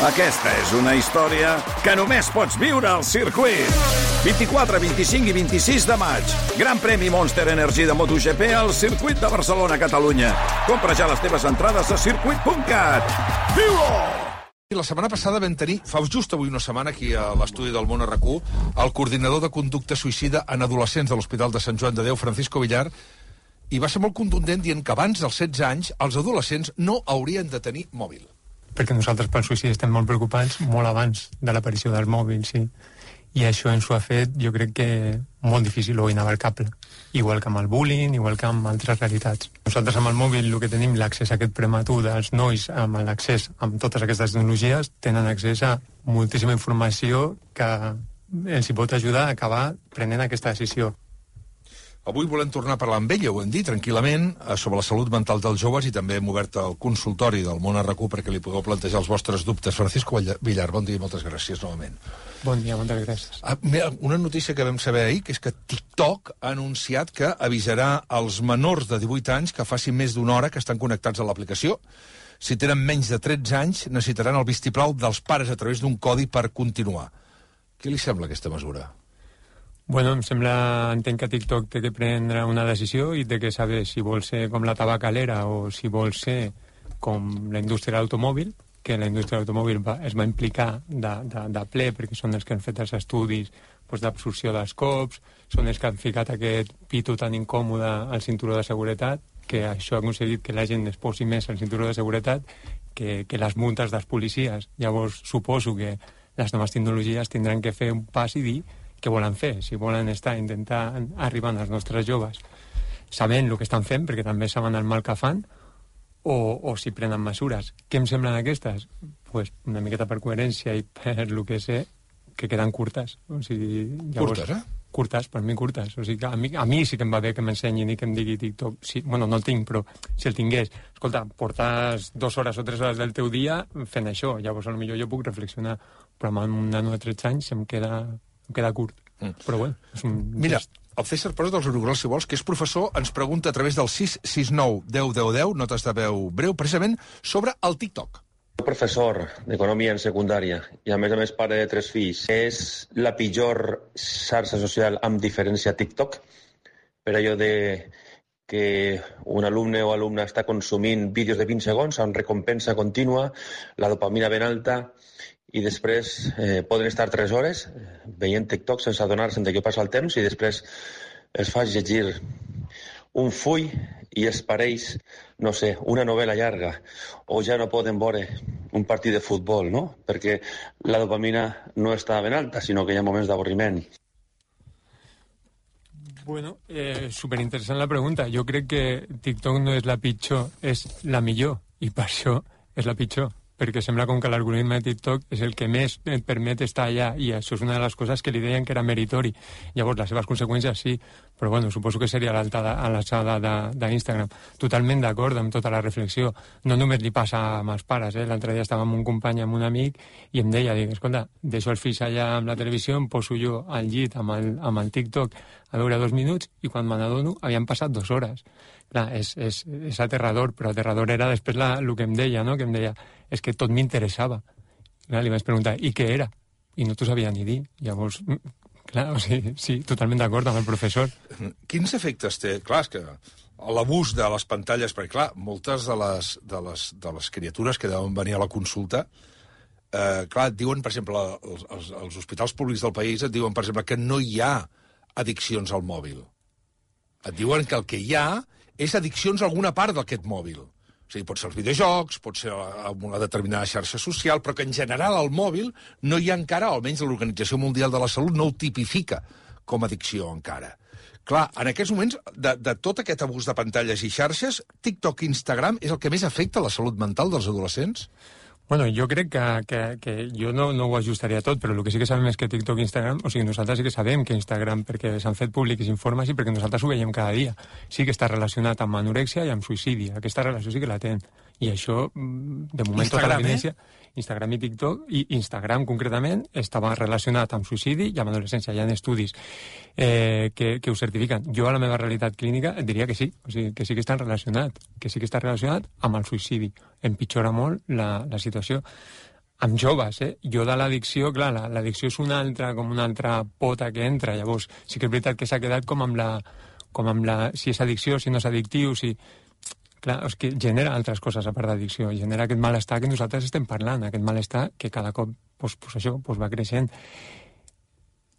Aquesta és una història que només pots viure al circuit. 24, 25 i 26 de maig. Gran premi Monster Energy de MotoGP al circuit de Barcelona, Catalunya. Compra ja les teves entrades a circuit.cat. Viu-ho! La setmana passada vam tenir, fa just avui una setmana, aquí a l'estudi del Món RQ, el coordinador de conducta suïcida en adolescents de l'Hospital de Sant Joan de Déu, Francisco Villar, i va ser molt contundent dient que abans dels 16 anys els adolescents no haurien de tenir mòbil. Perquè nosaltres pel suïcidi estem molt preocupats molt abans de l'aparició del mòbil, sí. I això ens ho ha fet, jo crec que molt difícil o inabarcable. Igual que amb el bullying, igual que amb altres realitats. Nosaltres amb el mòbil el que tenim l'accés a aquest prematur dels nois amb l'accés amb totes aquestes tecnologies tenen accés a moltíssima informació que els hi pot ajudar a acabar prenent aquesta decisió. Avui volem tornar a parlar amb ella, ho hem dit, tranquil·lament, sobre la salut mental dels joves i també hem obert el consultori del Món RQ perquè li pugueu plantejar els vostres dubtes. Francisco Villar, bon dia i moltes gràcies novament. Bon dia, moltes gràcies. Mira, una notícia que vam saber ahir, que és que TikTok ha anunciat que avisarà als menors de 18 anys que facin més d'una hora que estan connectats a l'aplicació. Si tenen menys de 13 anys, necessitaran el vistiplau dels pares a través d'un codi per continuar. Què li sembla aquesta mesura? Bueno, entenc que TikTok té que prendre una decisió i té que saber si vol ser com la tabacalera o si vol ser com la indústria de l'automòbil, que la indústria de l'automòbil es va implicar de ple, perquè són els que han fet els estudis d'absorció dels cops, són els que han ficat aquest pito tan incòmode al cinturó de seguretat, que això ha aconseguit que la gent es posi més al cinturó de seguretat que les multes dels policies. Llavors, suposo que les noves tecnologies tindran que fer un pas i dir què volen fer, si volen intentar arribar als nostres joves sabent el que estan fent, perquè també saben el mal que fan, o si prenen mesures. Què em semblen aquestes? Pues una miqueta per coherència i per el que sé, que queden curtes. O sigui, llavors, curtes, Curtes, per mi curtes. O sigui, que a mi sí que em va bé que m'ensenyin i que em digui TikTok. Sí, bueno, no el tinc, però si el tingués, escolta, portes 2 hores o 3 hores del teu dia fent això, llavors potser jo puc reflexionar, però amb un nano de 13 anys em queda curt. Però bueno, és un Mira, gest. el César Pérez dels Uruguals, si vols, que és professor, ens pregunta a través del 669 10 10 10, notes de veu breu, precisament sobre el TikTok. Professor d'Economia en secundària i a més pare de 3 fills. És la pitjor xarxa social amb diferència TikTok? Per allò de que un alumne o alumna està consumint vídeos de 20 segons amb recompensa contínua, la dopamina ben alta, i després poden estar 3 hores veient TikTok sense adonar-se'n de què passa el temps i després es fa llegir un full i es pareix, no sé, una novel·la llarga, o ja no poden veure un partit de futbol, no? Perquè la dopamina no està ben alta, sinó que hi ha moments d'avorriment. Bueno, superinteressant la pregunta. Jo crec que TikTok no és la pitjor, és la millor, i per això és la pitjor, perquè sembla com que l'algoritme de TikTok és el que més et permet estar allà, i això és una de les coses que li deien que era meritori. Llavors, les seves conseqüències sí, però bueno, suposo que seria a l'alçada d'Instagram. Totalment d'acord amb tota la reflexió. No només li passa amb els pares, L'altre dia estava amb un company, amb un amic, i em deia, escolta, deixo els fills allà amb la televisió, em poso jo al llit amb el TikTok a veure 2 minuts, i quan me n'adono havien passat 2 hores. Clar, és aterrador, però aterrador era després el que em deia, no? Que em deia, és que tot m'interessava. Li vaig preguntar, i què era? I no t'ho sabia ni dir. Llavors, clar, o sigui, sí, totalment d'acord amb el professor. Quins efectes té? Clar, és que l'abús de les pantalles, perquè clar, moltes de les criatures que deuen venir a la consulta, clar, et diuen, per exemple, els hospitals públics del país et diuen, per exemple, que no hi ha addiccions al mòbil. Et diuen que el que hi ha és addiccions a alguna part d'aquest mòbil. O sigui, pot ser els videojocs, pot ser una determinada xarxa social, però que en general al mòbil no hi ha encara, almenys l'Organització Mundial de la Salut no ho tipifica com a addicció encara. Clar, en aquests moments, de tot aquest abús de pantalles i xarxes, TikTok i Instagram és el que més afecta la salut mental dels adolescents? Bueno, jo crec que jo no ho ajustaria tot, però el que sí que sabem és que TikTok i Instagram, o sigui, nosaltres sí que sabem que Instagram, perquè s'han fet públics informes i perquè nosaltres ho veiem cada dia, sí que està relacionat amb anorèxia i amb suïcidi. Aquesta relació sí que la tenen. I això, de moment, Instagram, tota l'evidència... Instagram i TikTok, i Instagram concretament estava relacionat amb suïcidi i amb adolescència. Hi ha estudis que ho certifiquen. Jo a la meva realitat clínica et diria que sí, o sigui, que sí que està relacionat amb el suïcidi. Empitjora molt la situació. amb joves, Jo de l'addicció, clar, l'addicció és una altra pota que entra, llavors sí que és veritat que s'ha quedat com amb la si és addicció, si no és addictiu, si... Clar, és que genera altres coses a part d'addicció, genera aquest malestar que nosaltres estem parlant, aquest malestar que cada cop va creixent.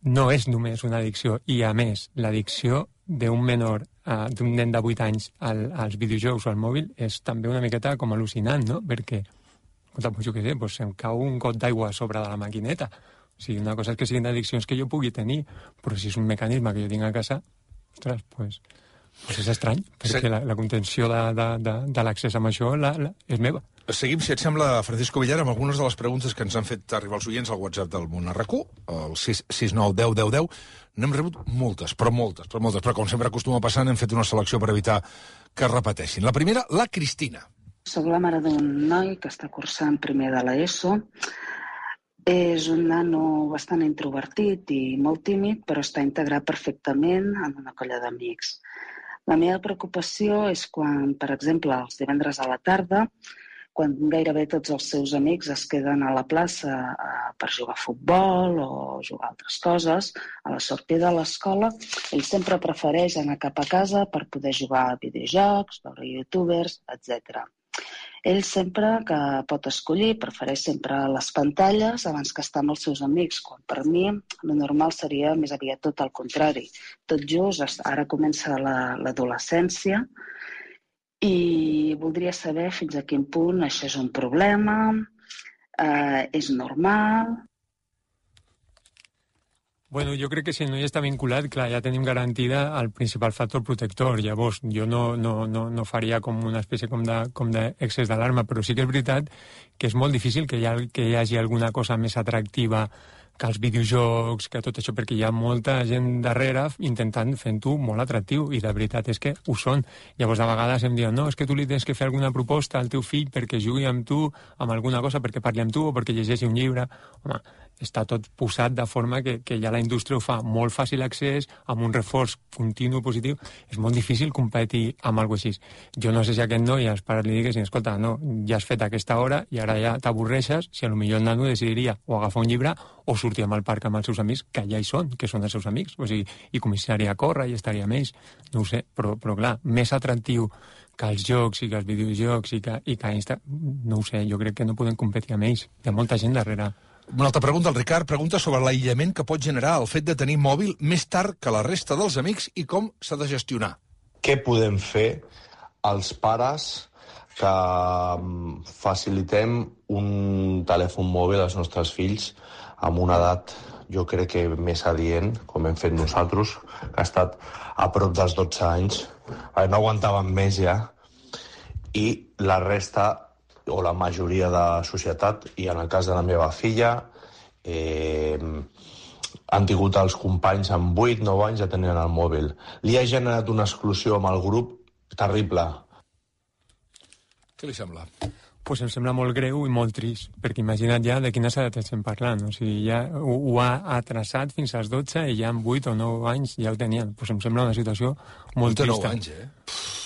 No és només una addicció, i a més, l'addicció d'un menor, d'un nen de 8 anys als videojocs o al mòbil és també una miqueta com al·lucinant, no? Perquè pues jo què sé, pues em cau un got d'aigua a sobre de la maquineta. O sigui, una cosa és que siguin addiccions que jo pugui tenir, però si és un mecanisme que jo tinc a casa, ostres, pues és estrany, perquè la contenció de l'accés amb això és meva. Seguim, si et sembla, Francisco Villar, amb algunes de les preguntes que ens han fet arribar els oients al WhatsApp del Món RQ, el 669 10 10 10. N'hem rebut moltes, però com sempre acostuma a passar, n'hem fet una selecció per evitar que es repeteixin. La primera, la Cristina. Soc la mare d'un noi que està cursant primer de l'ESO. És un nano bastant introvertit i molt tímid, però està integrat perfectament en una colla d'amics. La meva preocupació és quan, per exemple, els divendres a la tarda, quan gairebé tots els seus amics es queden a la plaça per jugar a futbol o jugar a altres coses, a la sortida de l'escola, ell sempre prefereix anar cap a casa per poder jugar a videojocs, veure youtubers, etc. Ell sempre que pot escollir prefereix sempre les pantalles abans que estar amb els seus amics, quan per mi el normal seria més aviat tot el contrari. Tot just, ara comença l'adolescència i voldria saber fins a quin punt això és un problema, és normal. Bueno, jo crec que si el noi està vinculat, clar, ja tenim garantida el principal factor protector. Llavors, jo no faria com una espècie com d'excés d'alarma, però sí que és veritat que és molt difícil que hi hagi alguna cosa més atractiva que els videojocs, que tot això, perquè hi ha molta gent darrere intentant fent-ho molt atractiu, i la veritat és que ho són. Llavors, de vegades em diuen, no, és que tu li tens que fer alguna proposta al teu fill perquè jugui amb tu, amb alguna cosa, perquè parli amb tu o perquè llegeixi un llibre. Home, està tot posat de forma que ja la indústria ho fa molt fàcil accés, amb un reforç continu positiu. És molt difícil competir amb alguna cosa així. Jo no sé si aquest noi als pares li diguessin, escolta, no, ja has fet aquesta hora i ara ja t'avorreixes, si potser el nano decidiria o agafar un llibre o sortir al parc amb els seus amics, que ja hi són, que són els seus amics, o sigui, i començaria a córrer i estaria amb ells. No ho sé, però clar, més atractiu que els jocs i que els videojocs i que Insta, no ho sé, jo crec que no podem competir amb ells. Hi ha molta gent darrere. Una altra pregunta, el Ricard pregunta sobre l'aïllament que pot generar el fet de tenir mòbil més tard que la resta dels amics i com s'ha de gestionar. Què podem fer els pares que facilitem un telèfon mòbil als nostres fills amb una edat, jo crec que més adient, com hem fet nosaltres, que ha estat a prop dels 12 anys, no aguantaven més ja, i la resta, o la majoria de la societat, i en el cas de la meva filla, han tingut els companys amb 8-9 anys ja tenien el mòbil. Li ha generat una exclusió amb el grup terrible. Què li sembla? Pues em sembla molt greu i molt trist, perquè imagina't ja de quines edats estem parlant. O sigui, ja ho ha atrasat fins als 12 i ja amb 8 o 9 anys ja ho tenien. Pues em sembla una situació molt trista. 9 anys,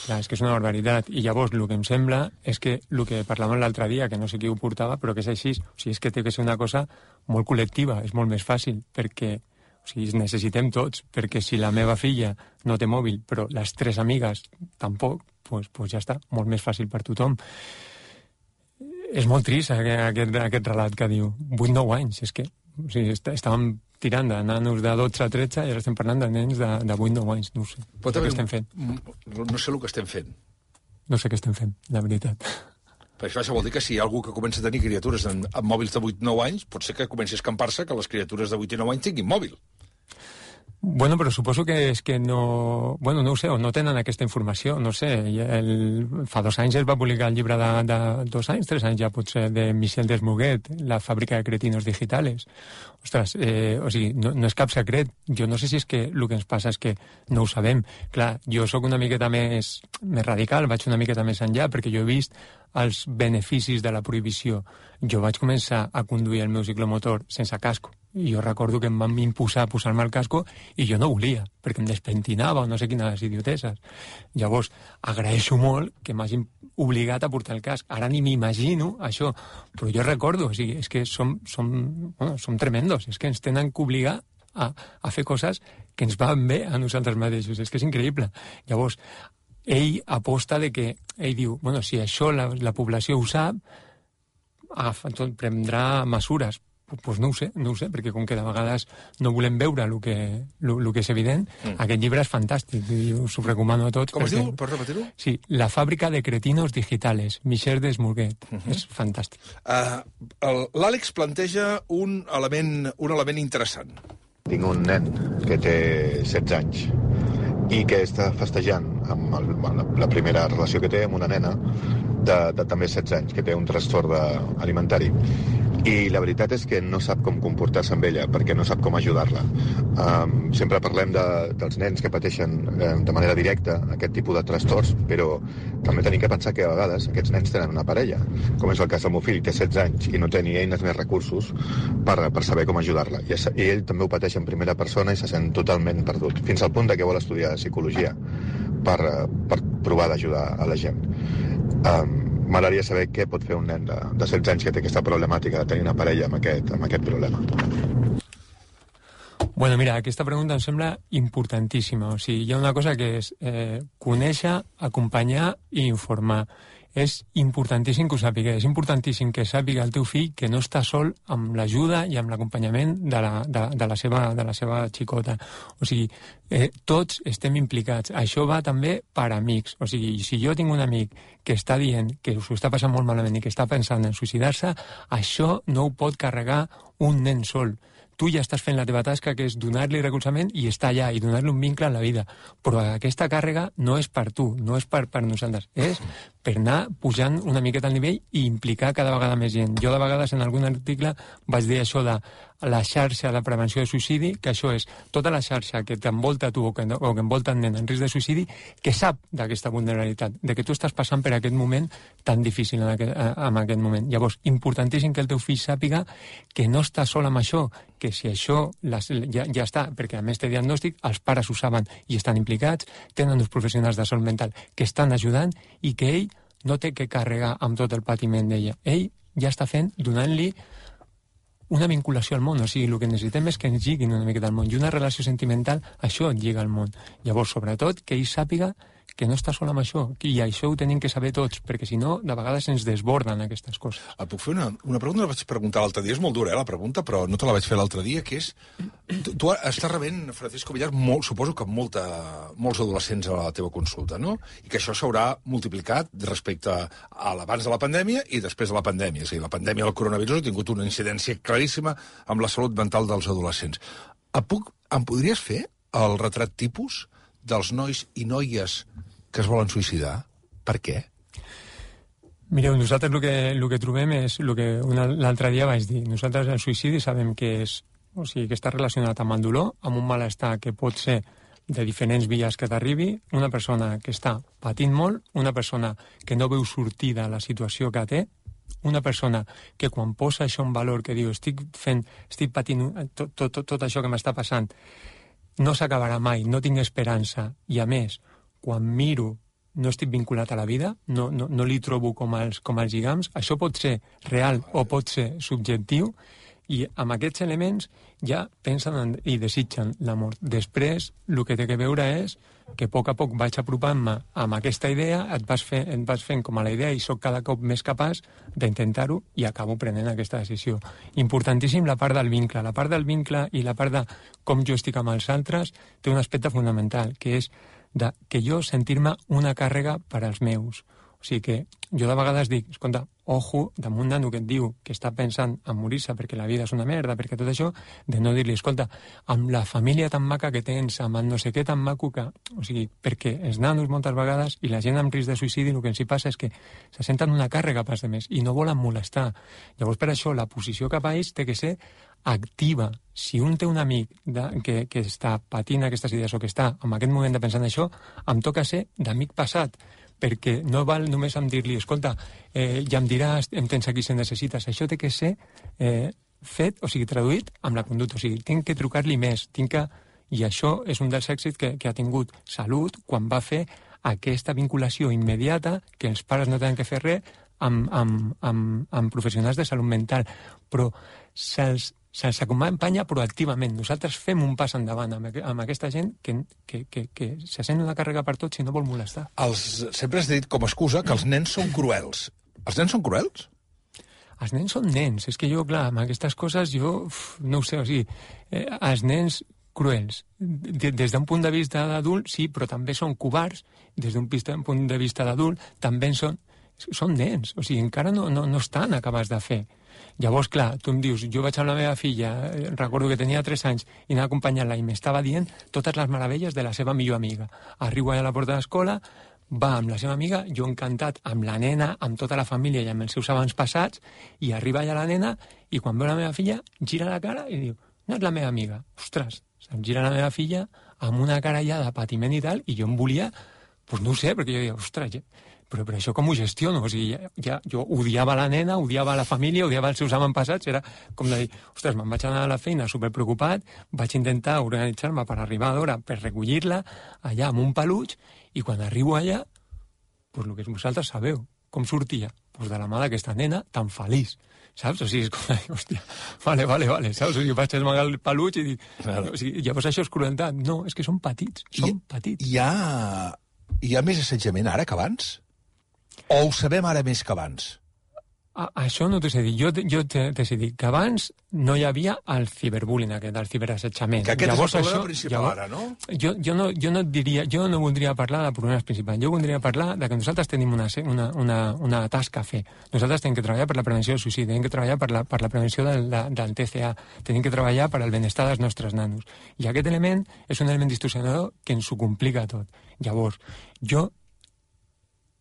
Clar, és que és una barbaritat. I llavors el que em sembla és que el que parlàvem l'altre dia, que no sé qui ho portava, però que és així, o sigui, és que té que ser una cosa molt col·lectiva, és molt més fàcil, perquè o sigui, necessitem tots, perquè si la meva filla no té mòbil, però les 3 amigues tampoc, pues ja està, molt més fàcil per tothom. És molt trist aquest relat que diu 8-9 anys, és que o sigui, estàvem tirant de nanos de 12 a 13 i ara estem parlant de nens de 8-9 anys, no ho sé. No sé què estem fent. No sé el que estem fent. No sé què estem fent, la veritat. Per això vol dir que si hi ha algú que comença a tenir criatures amb mòbils de 8-9 anys, pot ser que comenci a escampar-se que les criatures de 8 i 9 anys tinguin mòbil. Bueno, però suposo que és que no... Bueno, no ho sé, o no tenen aquesta informació, no sé. Fa 2 anys es va publicar el llibre de 2 anys, 3 anys ja potser, de Michel Desmuguet, La fàbrica de cretinos digitales. Ostres, o sigui, no és cap secret. Jo no sé si és que el que ens passa és que no ho sabem. Clar, jo sóc una miqueta més radical, vaig una miqueta més enllà, perquè jo he vist els beneficis de la prohibició. Jo vaig començar a conduir el meu ciclomotor sense casco jo recordo que em van imposar posar-me el casco i jo no volia, perquè em despentinava o no sé quines idioteses. Llavors, agraeixo molt que m'hagin obligat a portar el casc. Ara ni m'imagino això, però jo recordo, o sigui, és que som tremendos, és que ens tenen que obligar a fer coses que ens van bé a nosaltres mateixos, és que és increïble. Llavors, ell aposta de que, ell diu, bueno, si això la població ho sap, prendrà mesures. Pues no ho sé, perquè com que de vegades no volem veure el que és evident, aquest llibre és fantàstic, i us ho recomano a tots. Com es diu? Pots repetir-ho? Sí, La fàbrica de cretinos digitales, Michel Desmourguet. És fantàstic. L'Àlex planteja un element interessant. Tinc un nen que té 16 anys i que està festejant amb la primera relació que té amb una nena de també 16 anys, que té un trastorn alimentari. I la veritat és que no sap com comportar-se amb ella, perquè no sap com ajudar-la. Sempre parlem dels nens que pateixen de manera directa aquest tipus de trastorns, però també tenim que pensar que a vegades aquests nens tenen una parella, com és el cas del meu fill, que té 16 anys i no té ni eines ni recursos per saber com ajudar-la. I ell també ho pateix en primera persona i se sent totalment perdut, fins al punt que vol estudiar psicologia per provar d'ajudar a la gent. M'agradaria saber què pot fer un nen de 16 anys que té aquesta problemàtica de tenir una parella amb aquest problema. Bueno, mira, aquesta pregunta em sembla importantíssima. O sigui, hi ha una cosa que és conèixer, acompanyar i informar. És importantíssim que ho sàpiga. És importantíssim que sàpiga el teu fill que no està sol amb l'ajuda i amb l'acompanyament de la seva xicota. O sigui, tots estem implicats. Això va també per amics. O sigui, si jo tinc un amic que està dient que s'ho està passant molt malament i que està pensant en suïcidar-se, això no ho pot carregar un nen sol. Tu ja estàs fent la teva tasca, que és donar-li recolzament i estar allà, i donar-li un vincle en la vida. Però aquesta càrrega no és per tu, no és per nosaltres, és per anar pujant una miqueta al nivell i implicar cada vegada més gent. Jo de vegades en algun article vaig dir això de la xarxa de prevenció de suïcidi, que això és tota la xarxa que t'envolta tu o que envolta el nen en risc de suïcidi, que sap d'aquesta vulnerabilitat, de que tu estàs passant per aquest moment tan difícil en aquest moment. Llavors, importantíssim que el teu fill sàpiga que no està sol amb això, que si això ja està, perquè a més té diagnòstic, els pares ho saben i estan implicats, tenen uns professionals de salut mental que estan ajudant i que ell no té que carregar amb tot el patiment d'ella. Ell ja està fent, donant-li una vinculació al món, o sigui, el que necessitem és que ens lliguin una miqueta al món, i una relació sentimental, això et lliga al món. Llavors, sobretot, que ell sàpiga que no està sol amb això, i això ho tenim que saber tots, perquè si no, de vegades ens desborden aquestes coses. Et puc fer una pregunta? La vaig preguntar l'altre dia, és molt dura, la pregunta, però no te la vaig fer l'altre dia, que és... Tu estàs rebent, Francisco Villar, suposo que molts adolescents a la teva consulta, no? I que això s'haurà multiplicat respecte a l'abans de la pandèmia i després de la pandèmia. És a dir, la pandèmia del coronavirus ha tingut una incidència claríssima amb la salut mental dels adolescents. Em podries fer el retrat tipus dels nois i noies que es volen suïcidar? Per què? Mireu, nosaltres el que trobem és el que l'altre dia vaig dir. Nosaltres el suïcidi sabem que és, o sigui, que està relacionat amb el dolor, amb un malestar que pot ser de diferents vies que t'arribi, una persona que està patint molt, una persona que no veu sortida a la situació que té, una persona que quan posa això en valor, que diu estic patint tot això que m'està passant, no s'acabarà mai, no tinc esperança, i a més, quan miro, no estic vinculat a la vida, no li trobo com els lligams, això pot ser real o pot ser subjectiu, i amb aquests elements ja pensen i desitgen la mort. Després, el que té que veure és que a poc vaig apropant-me amb aquesta idea, et vas fent com a la idea i sóc cada cop més capaç d'intentar-ho i acabo prenent aquesta decisió. Importantíssim la part del vincle. La part del vincle i la part de com jo estic amb els altres té un aspecte fonamental, que és que jo sentir-me una càrrega per als meus. O sigui que jo de vegades dic, escolta, ojo, damunt un nano que et diu que està pensant en morir-se perquè la vida és una merda, perquè tot això, de no dir-li, escolta, amb la família tan maca que tens, amb el no sé què tan maco que... O sigui, perquè els nanos moltes vegades i la gent amb risc de suïcidi el que els hi passa és que se senten una càrrega pas de més i no volen molestar. Llavors, per això, la posició cap a ells té que ser activa. Si un té un amic que està patint aquestes idees o que està en aquest moment de pensar en això, em toca ser d'amic passat, perquè no val només amb dir-li, escolta, ja em diràs, em tens aquí si necessites. Això té que ser fet, o sigui, traduït amb la conducta. O sigui, tinc que trucar-li més, I això és un dels èxits que ha tingut Salut quan va fer aquesta vinculació immediata, que els pares no tenen que fer res, amb professionals de salut mental. Però se'ls acompanya proactivament. Nosaltres fem un pas endavant amb aquesta gent que se sent una càrrega per tots i no vol molestar. Sempre has dit com a excusa que els nens són cruels. Els nens són cruels? Els nens són nens. És que jo, clar, amb aquestes coses, no ho sé, o sigui, els nens cruels. Des d'un punt de vista d'adult, sí, però també són covards. Des d'un punt de vista d'adult, també són nens. O sigui, encara no estan acabats de fer. Llavors, clar, tu em dius, jo vaig amb la meva filla, recordo que tenia 3 anys, i anava acompanyant-la i m'estava dient totes les meravelles de la seva millor amiga. Arribo allà a la porta de l'escola, va amb la seva amiga, jo encantat amb la nena, amb tota la família i amb els seus avantpassats, i arriba allà la nena, i quan veu la meva filla, gira la cara i diu, no és la meva amiga. Ostres, em gira la meva filla amb una cara ja de patiment i tal, i jo em volia, doncs no ho sé, perquè jo deia, ostres, però això com ho gestiono? O sigui, jo odiava la nena, odiava la família, odiava els seus avantpassats, era com de dir, ostres, me'n vaig anar a la feina superpreocupat, vaig intentar organitzar-me per arribar d'hora, per recollir-la allà amb un peluig, i quan arribo allà, doncs el que vosaltres sabeu, com sortia? Doncs de la mà d'aquesta nena tan feliç, saps? O sigui, és com dir, hòstia, vale, saps? O sigui, vaig amagar el peluig i dic, o sigui, llavors això és crueltat. No, és que són petits, petits. Hi ha més assetjament ara que abans? O ho sabem ara més que abans? Això no t'ho sé dir. Jo t'he dit que abans no hi havia el ciberbullying aquest, el ciberassetjament. Que aquest és el problema principal ara, no? Jo no voldria parlar del problema principal. Jo voldria parlar de que nosaltres tenim una tasca a fer. Nosaltres tenim que treballar per la prevenció del suïcidi, tenim que treballar per la prevenció del TCA, tenim que treballar per al benestar dels nostres nanos. I aquest element és un element distorsionador que ens ho complica tot. Llavors, jo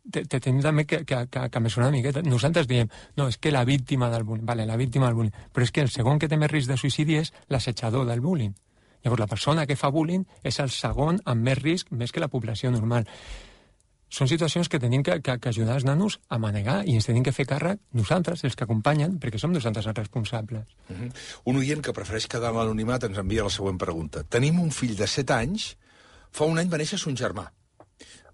tenim també que mesurar una miqueta. Nosaltres diem, no, és que la víctima del bullying, la víctima del bullying, però és que el segon que té més risc de suïcidi és l'assetjador del bullying. Llavors, la persona que fa bullying és el segon amb més risc, més que la població normal. Són situacions que tenim que ajudar els nanos a manegar i ens tenim que fer càrrec nosaltres, els que acompanyen, perquè som nosaltres els responsables. Un oient que prefereix quedar en l'anonimat ens envia la següent pregunta. Tenim un fill de 7 anys, fa un any va néixer son germà.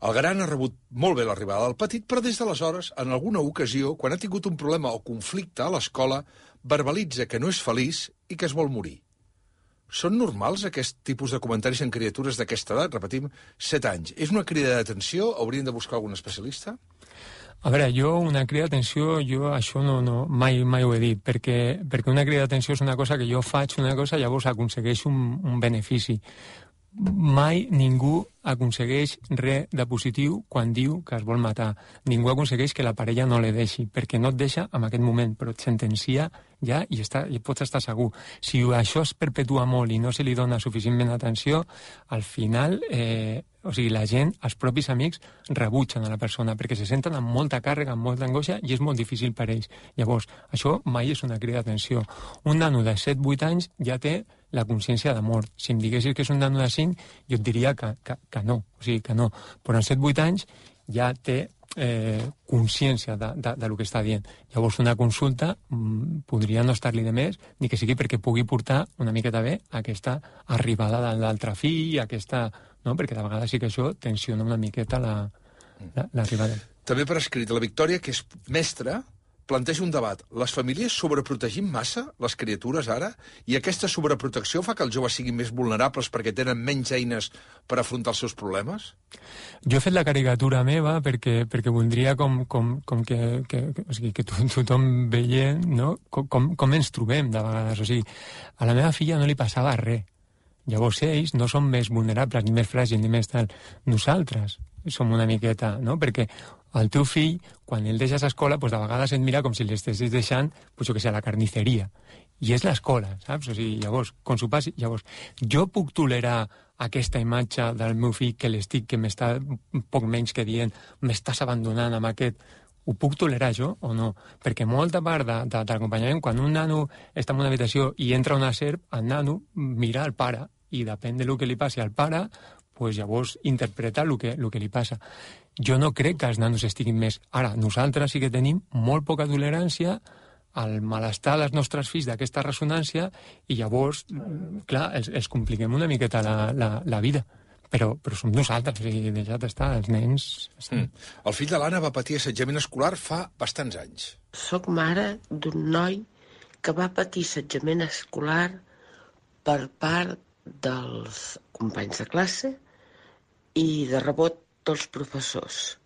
El gran ha rebut molt bé l'arribada del petit, però des d'aleshores, en alguna ocasió, quan ha tingut un problema o conflicte a l'escola, verbalitza que no és feliç i que es vol morir. Són normals aquest tipus de comentaris en criatures d'aquesta edat? Repetim, 7 anys. És una crida d'atenció? Haurien de buscar algun especialista? A veure, una crida d'atenció, això mai ho he dit, perquè una crida d'atenció és una cosa que jo faig una cosa i llavors aconsegueixo un benefici. Mai ningú aconsegueix res de positiu quan diu que es vol matar. Ningú aconsegueix que la parella no li deixi, perquè no et deixa en aquest moment, però et sentencia ja i pots estar segur. Si això es perpetua molt i no se li dona suficientment atenció, al final, o sigui, la gent, els propis amics, rebutgen a la persona, perquè se senten amb molta càrrega, amb molta angoixa, i és molt difícil per ells. Llavors, això mai és una crida d'atenció. Un nano de 7-8 anys ja té la consciència de mort. Si em diguessis que és un nano de 5, jo et diria que no, o sigui, que no. Però en 7-8 anys ja té consciència de lo que està dient. Llavors una consulta podria no estar-li de més, ni que sigui perquè pugui portar una miqueta bé aquesta arribada de l'altre fill, no? Perquè de vegades sí que això tensiona una miqueta l'arribada. També per escrit, la Victòria, que és mestra, planteja un debat. Les famílies sobreprotegim massa les criatures ara? I aquesta sobreprotecció fa que els joves siguin més vulnerables perquè tenen menys eines per afrontar els seus problemes? Jo he fet la caricatura meva perquè voldria que tothom veient, no? com ens trobem de vegades. O sigui, a la meva filla no li passava res. Llavors ells no són més vulnerables, ni més fràgils, ni més tal. Nosaltres som una miqueta, no? Perquè el teu fill, quan el deixes a escola, doncs de vegades et mira com si l'estessis deixant, jo que sé, a la carnisseria. I és l'escola, saps? O sigui, llavors, com s'ho passi, llavors, jo puc tolerar aquesta imatge del meu fill que m'està poc menys que dient, m'estàs abandonant amb aquest... Ho puc tolerar jo o no? Perquè molta part de l'acompanyament, quan un nano està en una habitació i entra una serp, el nano mira al pare i depèn del que li passi al pare, doncs llavors interpreta el que li passa. Jo no crec que els nanos estiguin més... Ara, nosaltres sí que tenim molt poca tolerància al malestar dels nostres fills d'aquesta ressonància i llavors, clar, els compliquem una miqueta la vida. Però som nosaltres, o sigui, deixat estar, els nens... El fill de l'Anna va patir assetjament escolar fa bastants anys. Soc mare d'un noi que va patir assetjament escolar per part dels companys de classe i de rebot dels professors.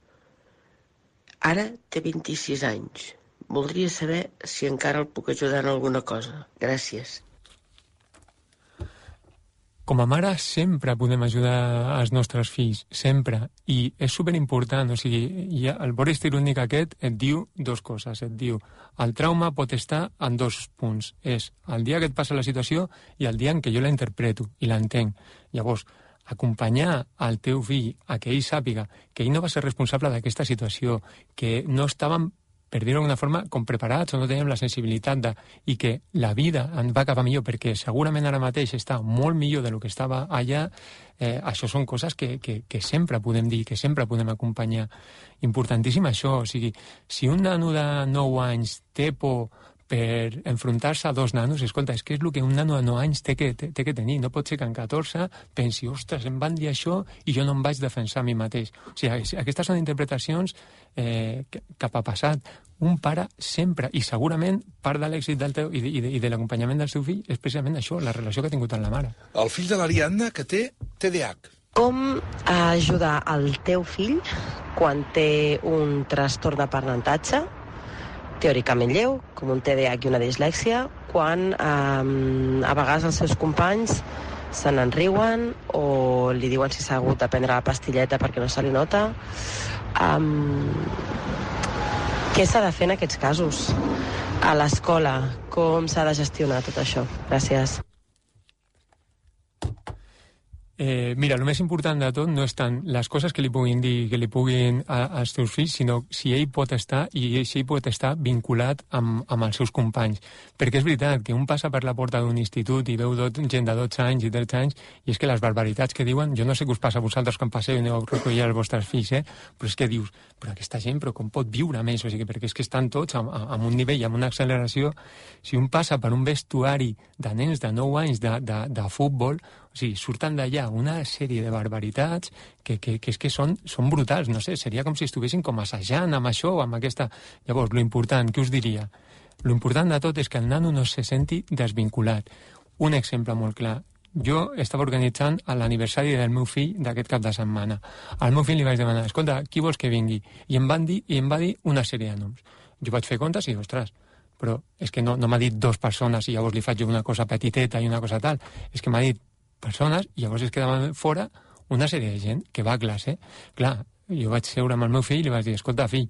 Ara té 26 anys. Voldria saber si encara el puc ajudar en alguna cosa. Gràcies. Com a mare sempre podem ajudar els nostres fills, sempre. I és superimportant, o sigui, el vora histriònic aquest et diu dues coses. Et diu, el trauma pot estar en dos punts. És el dia que et passa la situació i el dia en què jo la interpreto i l'entenc. Llavors, acompanyar el teu fill a que ell sàpiga que ell no va ser responsable d'aquesta situació, que no estàvem, per dir-ho d'alguna forma, com preparats o no teníem la sensibilitat i que la vida en va acabar millor perquè segurament ara mateix està molt millor del que estava allà, això són coses que sempre podem dir, que sempre podem acompanyar. Importantíssim això, o sigui, si un nano de 9 anys té por per enfrontar-se a dos nanos, escolta, és que és el que un nano de 9 anys té que tenir. No pot ser que en 14 pensi, ostres, em van dir això i jo no em vaig defensar a mi mateix. O sigui, aquestes són interpretacions cap a passat. Un pare sempre, i segurament part de l'èxit del teu i de l'acompanyament del seu fill és precisament això, la relació que ha tingut amb la mare. El fill de l'Ariadna, que té TDAH. Com ajudar el teu fill quan té un trastorn d'aprenentatge teòricament lleu, com un TDAH i una dislèxia, quan a vegades els seus companys se n'enriuen o li diuen si s'ha hagut de prendre la pastilleta perquè no se li nota. Què s'ha de fer en aquests casos? A l'escola, com s'ha de gestionar tot això? Gràcies. Mira, el més important de tot no és tant les coses que li puguin dir, que li puguin als teus fills, sinó si ell pot estar vinculat amb els seus companys. Perquè és veritat que un passa per la porta d'un institut i veu gent de 12 anys i 13 anys i és que les barbaritats que diuen, jo no sé què us passa a vosaltres quan passeu i aneu a recollir els vostres fills, però és que dius, però aquesta gent, però com pot viure més? O sigui, perquè és que estan tots amb un nivell, amb una acceleració. Si un passa per un vestuari de nens de 9 anys de futbol, o sigui, surten d'allà una sèrie de barbaritats que és que són brutals, no sé, seria com si estiguessin com assajant amb això o amb aquesta... Llavors, lo important, què us diria? Lo important de tot és que el nano no se senti desvinculat. Un exemple molt clar. Jo estava organitzant l'aniversari del meu fill d'aquest cap de setmana. Al meu fill li vaig demanar, escolta, qui vols que vingui? I em va dir una sèrie de noms. Jo vaig fer comptes i, ostres, però és que no m'ha dit 2 persones i llavors li faig una cosa petiteta i una cosa tal. És que m'ha dit persones i llavors es quedava fora una sèrie de gent que va a classe. Clar, jo vaig seure amb el meu fill i li vaig dir, escolta, fill,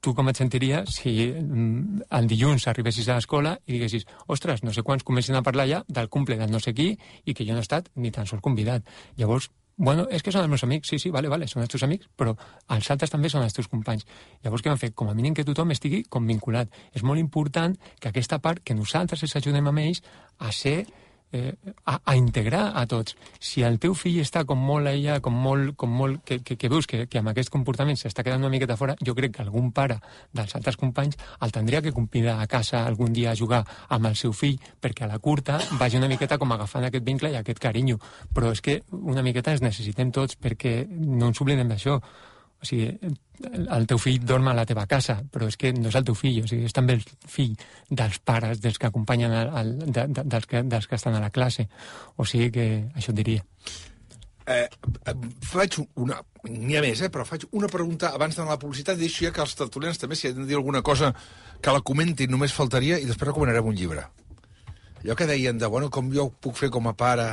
tu com et sentiries si el dilluns arribessis a l'escola i diguessis, ostres, no sé quants comencen a parlar ja del cumple del no sé qui i que jo no he estat ni tan sols convidat. Llavors, bueno, és que són els meus amics, sí, vale, són els teus amics, però els altres també són els teus companys. Llavors, què van fer? Com a mínim que tothom estigui com vinculat. És molt important que aquesta part, que nosaltres els ajudem amb ells a ser... a integrar a tots. Si el teu fill està com molt allà, que veus que amb aquest comportament s'està quedant una miqueta fora, jo crec que algun pare dels altres companys el tindria que convidar a casa algun dia a jugar amb el seu fill perquè a la curta vagi una miqueta com agafant aquest vincle i aquest carinyo. Però és que una miqueta els necessitem tots perquè no ens oblidem d'això. O sigui, el teu fill dorm a la teva casa, però és que no és el teu fill, o sigui, és també el fill dels pares, dels que acompanyen, dels que estan a la classe. O sigui que això et diria. Faig una... N'hi ha més, però faig una pregunta abans d'anar a la publicitat i deixo ja que els tertulians també, si han de dir alguna cosa, que la comentin, només faltaria, i després recomanarem un llibre. Allò que deien de, bueno, com jo puc fer com a pare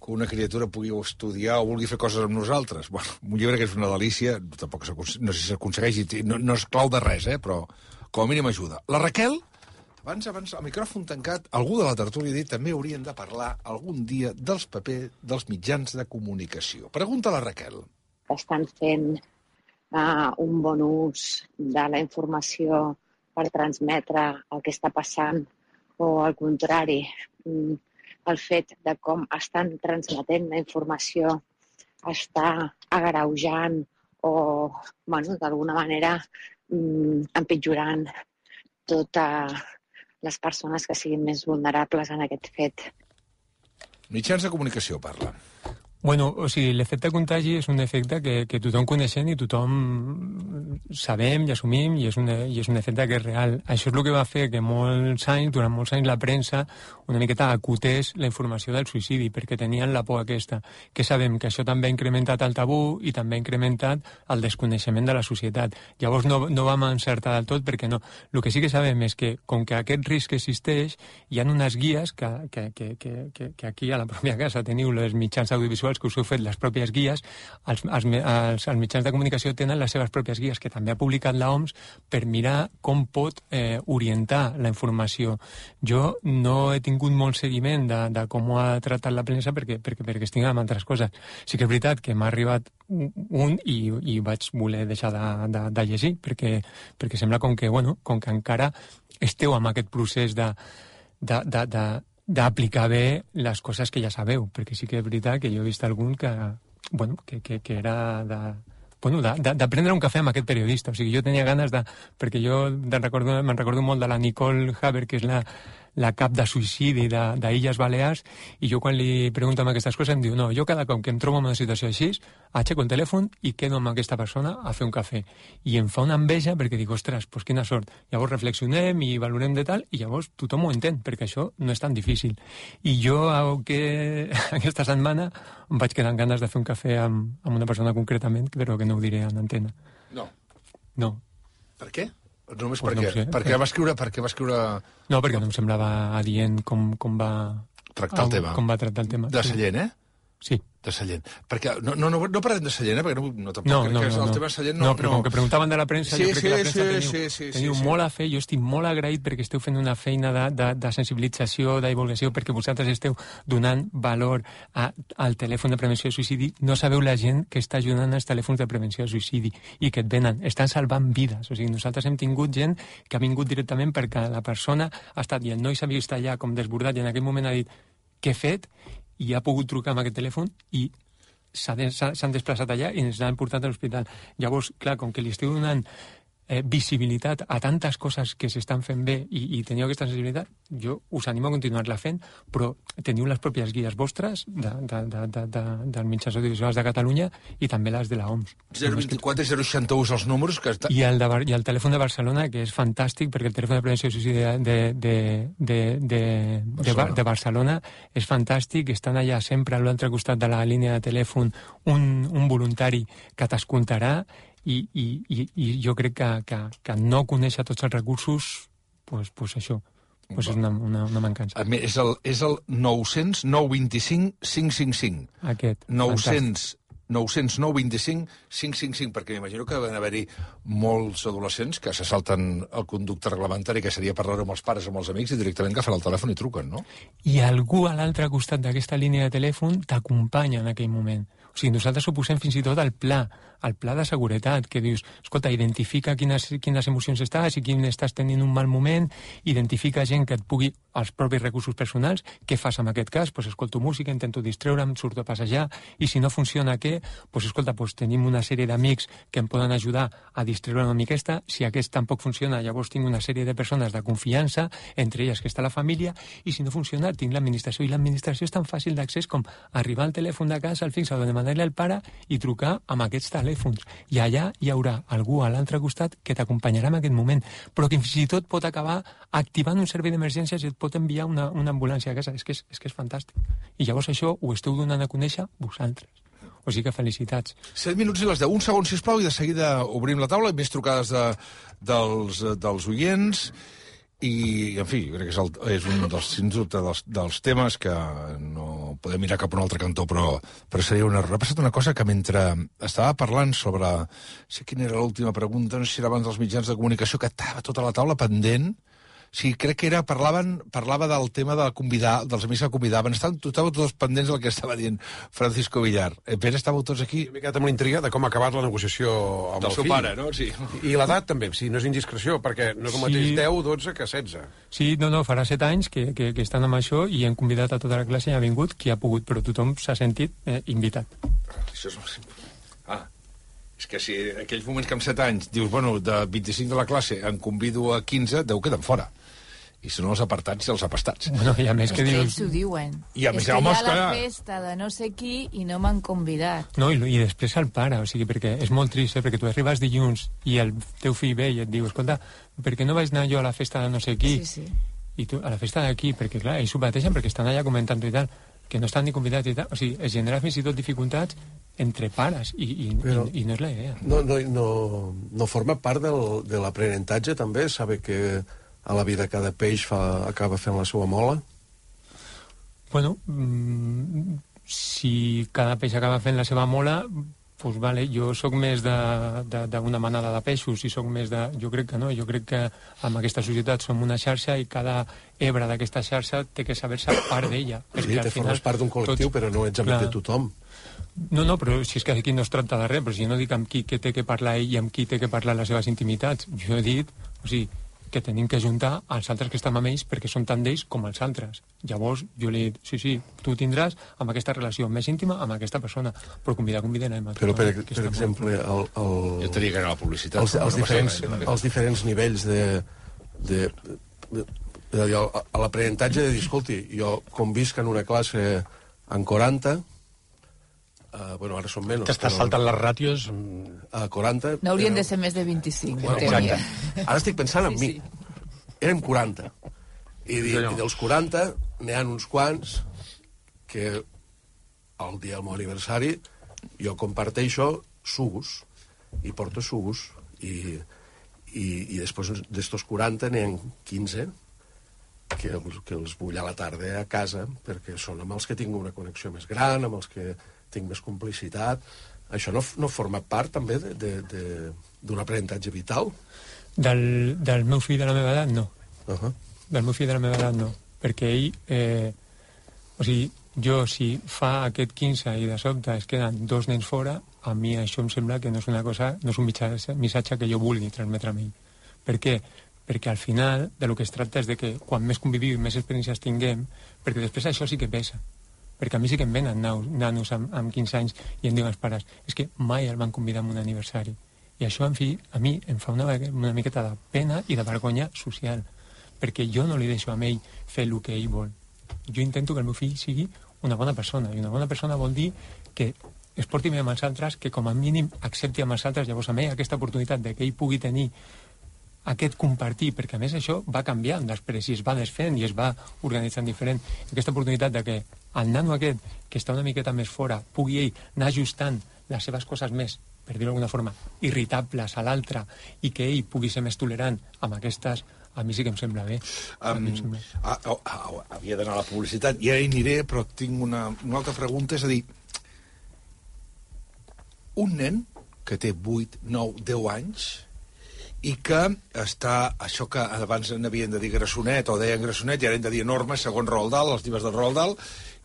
que una criatura pugui estudiar o vulgui fer coses amb nosaltres. Bueno, un llibre que és una delícia, tampoc no sé si s'aconsegueix, no és clau de res, però com a mínim ajuda. La Raquel, abans, el micròfon tancat, algú de la tertúlia ha dit també haurien de parlar algun dia dels papers dels mitjans de comunicació. Pregunta a la Raquel. Estan fent un bon ús de la informació per transmetre el que està passant o al contrari, el fet de com estan transmetent la informació està agreujant o, bueno, d'alguna manera empitjorant sobretot a les persones que siguin més vulnerables en aquest fet. Mitjans de comunicació, parla. Bueno, o sigui, l'efecte contagi és un efecte que tothom coneixem i tothom sabem i assumim i és un efecte que és real. Això és el que va fer que durant molts anys la premsa una miqueta acotés la informació del suïcidi perquè tenien la por aquesta. Que sabem que això també ha incrementat el tabú i també ha incrementat el desconeixement de la societat. Llavors no vam encertar del tot perquè no. El que sí que sabem és que com que aquest risc existeix hi ha unes guies que aquí a la pròpia casa teniu les mitjans audiovisuals que us heu fet les pròpies guies, els mitjans de comunicació tenen les seves pròpies guies que també ha publicat l'OMS per mirar com pot orientar la informació. Jo no he tingut molt seguiment de com ho ha tractat la premsa perquè estic amb altres coses. Sí que és veritat que m'ha arribat un i vaig voler deixar de llegir perquè sembla com que encara esteu amb aquest procés d'aplicar bé les coses que ja sabeu, perquè sí que és veritat que jo he vist algun que era de prendre un cafè amb aquest periodista. O sigui, jo tenia ganes perquè jo me'n recordo molt de la Nicole Haber, que és la cap de suïcidi d'Illes Balears, i jo quan li pregunto amb aquestes coses em diu, no, jo cada cop que em trobo en una situació així, aixeco el telèfon i quedo amb aquesta persona a fer un cafè. I em fa una enveja perquè dic, ostres, doncs quina sort. Llavors reflexionem i valorem de tal, i llavors tothom ho entén, perquè això no és tan difícil. I jo aquesta setmana em vaig quedar amb ganes de fer un cafè amb una persona concretament, però que no ho diré en antena. No. Per què? Només pues per què? No sé. Per què va escriure... No, perquè no em semblava adient com va... Tractar el tema. Com va tractar el tema. De Sallent, eh? Sí. De Sallent. Perquè no parlem de Sallent, perquè no tampoc crec que el tema de Sallent no, però com que preguntaven de la premsa, jo crec que la premsa teniu molt a fer. Jo estic molt agraït perquè esteu fent una feina de sensibilització, de divulgació, perquè vosaltres esteu donant valor al telèfon de prevenció de suïcidi. No sabeu la gent que està ajudant als telèfons de prevenció de suïcidi i que et venen. Estan salvant vides. O sigui, nosaltres hem tingut gent que ha vingut directament perquè la persona ha estat, i el noi s'ha vist allà com desbordat, i en aquell moment ha dit, què he fet? I ha pogut trucar amb aquest telèfon i s'han desplaçat allà i ens l'han portat a l'hospital. Llavors, clar, com que li esteu donant visibilitat a tantes coses que s'estan fent bé i teniu aquesta sensibilitat, jo us animo a continuar-la fent, però teniu les pròpies guies vostres dels mitjans audiovisuals de Catalunya i també les de l'OMS. 024 i 061 els números que està... I el telèfon de Barcelona, que és fantàstic, perquè el telèfon de prevenció de suïcidi de Barcelona és fantàstic. Estan allà sempre a l'altre costat de la línia de telèfon un voluntari que t'escoltarà. I jo crec que no conèixer tots els recursos, pues això, pues és una mancança. És el 900 925 555. Aquest. 900 925 555, perquè m'imagino que van haver-hi molts adolescents que se salten el conducte reglamentari, que seria parlar amb els pares o amb els amics, i directament agafen el telèfon i truquen, no? I algú a l'altre costat d'aquesta línia de telèfon t'acompanya en aquell moment. O sigui, nosaltres ho posem fins i tot al pla de seguretat, que dius, escolta, identifica quines emocions estàs i quin estàs tenint un mal moment, identifica gent que et pugui, els propis recursos personals, què fas en aquest cas? Pues escolto música, intento distreure'm, surto a passejar, i si no funciona què? Pues escolta, pues tenim una sèrie d'amics que em poden ajudar a distreure una miqueta, si aquest tampoc funciona, llavors tinc una sèrie de persones de confiança, entre elles que està la família, i si no funciona, tinc l'administració, i l'administració és tan fàcil d'accés com arribar al telèfon de casa, al fixe, o demanar-li al pare i trucar amb aquests telèfons. I allà hi haurà algú a l'altre costat que t'acompanyarà en aquest moment, però que fins i tot pot acabar activant un servei d'emergències i et pot enviar una ambulància a casa. És que és fantàstic. I llavors això ho esteu donant a conèixer vosaltres. O sigui que felicitats. 7 minuts i les 10. Un segon, sisplau, i de seguida obrim la taula. Més trucades dels oients. I, en fi, crec que és un dels, sens dubte, dels temes que no podem mirar cap a un altre cantó, però seria un error. Ha passat una cosa que mentre estava parlant sobre... sé quina era l'última pregunta, no sé si era abans dels mitjans de comunicació, que estava tota la taula pendent. Sí, crec que parlava del tema dels amics que convidaven. Estàveu tots pendents del que estava dient Francisco Villar. Pere, estàveu tots aquí? M'he quedat amb la intriga de com ha acabat la negociació amb el seu fill. Pare, no? Sí. I l'edat també, si no és indiscreció, perquè no és el mateix 10, 12 que 16. Sí, no, farà 7 anys que estan amb això i hem convidat a tota la classe i ha vingut qui ha pogut, però tothom s'ha sentit invitat. Això és... És que si en aquells moments que amb 7 anys dius, bueno, de 25 de la classe en convido a 15, 10 queden fora. I són els apartats i els apastats. Bueno, i a més que dius... ells ho diuen. I a més, és que home, hi ha la festa de no sé qui i no m'han convidat. No, i després el pare, o sigui, perquè és molt trist, perquè tu arribes dilluns i el teu fill ve i et diu, escolta, per què no vaig anar jo a la festa de no sé qui? Sí. I tu, a la festa d'aquí, perquè clar, ells ho pateixen perquè estan allà comentant i tal, que no estan ni convidats i tal. O sigui, es genera fins i tot dificultats entre pares i no és la idea. No forma part de l'aprenentatge, també, saber que a la vida cada peix acaba fent la seva mola? Bueno, si cada peix acaba fent la seva mola, pues vale, jo sóc més d'una manada de peixos i sóc més de... Jo crec que no, jo crec que en aquesta societat som una xarxa i cada hebra d'aquesta xarxa té que saber-se part d'ella. Sí, te formes part d'un col·lectiu, però no ets amic de tothom. No, però si és que aquí no es tracta de res, però si jo no dic amb qui que té que parlar ell i amb qui té que parlar les seves intimitats. Jo he dit, o sigui, que tenim que juntar els altres que estem amb ells perquè són tant d'ells com els altres. Llavors, jo li he dit, sí, tu tindràs amb aquesta relació més íntima amb aquesta persona, però convidarem a però, per exemple, jo tenia que anar a la publicitat. Els diferents nivells a l'aprenentatge de dir, escolti, jo convisc en una classe en 40, bueno, ara són menys. T'estàs saltant les ràtios. A 40... No haurien de ser més de 25. Bueno, exacte. Ara estic pensant en mi. Érem 40. I dels 40 n'hi ha uns quants que el dia del meu aniversari jo comparteixo sugus i porto sugus i després d'estos 40 n'hi ha 15 que els vull a la tarda a casa perquè són amb els que tinc una connexió més gran, amb els que tinc més complicitat. Això no forma part, també, d'un aprenentatge vital? Del meu fill de la meva edat, no. Del meu fill de la meva edat, no. Perquè ell... o sigui, jo, si fa aquest 15 i de sobte es queden 2 nens fora, a mi això em sembla que no és una cosa, no és un missatge que jo vulgui transmetre a ell. Per què? Perquè al final de lo que es tracta és de que quan més convivim, més experiències tinguem, perquè després això sí que pesa. Perquè a mi sí que em venen nanos amb 15 anys i em diuen els pares, és que mai el van convidar a un aniversari. I això, en fi, a mi em fa una miqueta de pena i de vergonya social, perquè jo no li deixo a ell fer el que ell vol. Jo intento que el meu fill sigui una bona persona, i una bona persona vol dir que es porti bé amb els altres, que com a mínim accepti amb els altres, llavors a ell aquesta oportunitat de que ell pugui tenir aquest compartir, perquè a més això va canviant després i es va desfent i es va organitzant diferent. Aquesta oportunitat de que el nano aquest, que està una miqueta més fora, pugui ell anar ajustant les seves coses més, per dir-ho d'alguna forma, irritables a l'altre, i que ell pugui ser més tolerant amb aquestes, a mi sí que em sembla bé. Havia d'anar a la publicitat i ara hi aniré, però tinc una altra pregunta, és a dir, un nen que té 8, 9, 10 anys i que està, això que abans n'havien de dir grassonet o deien grassonet i ara hem de dir enorme segons Roald Dahl, els llibres de Roald Dahl,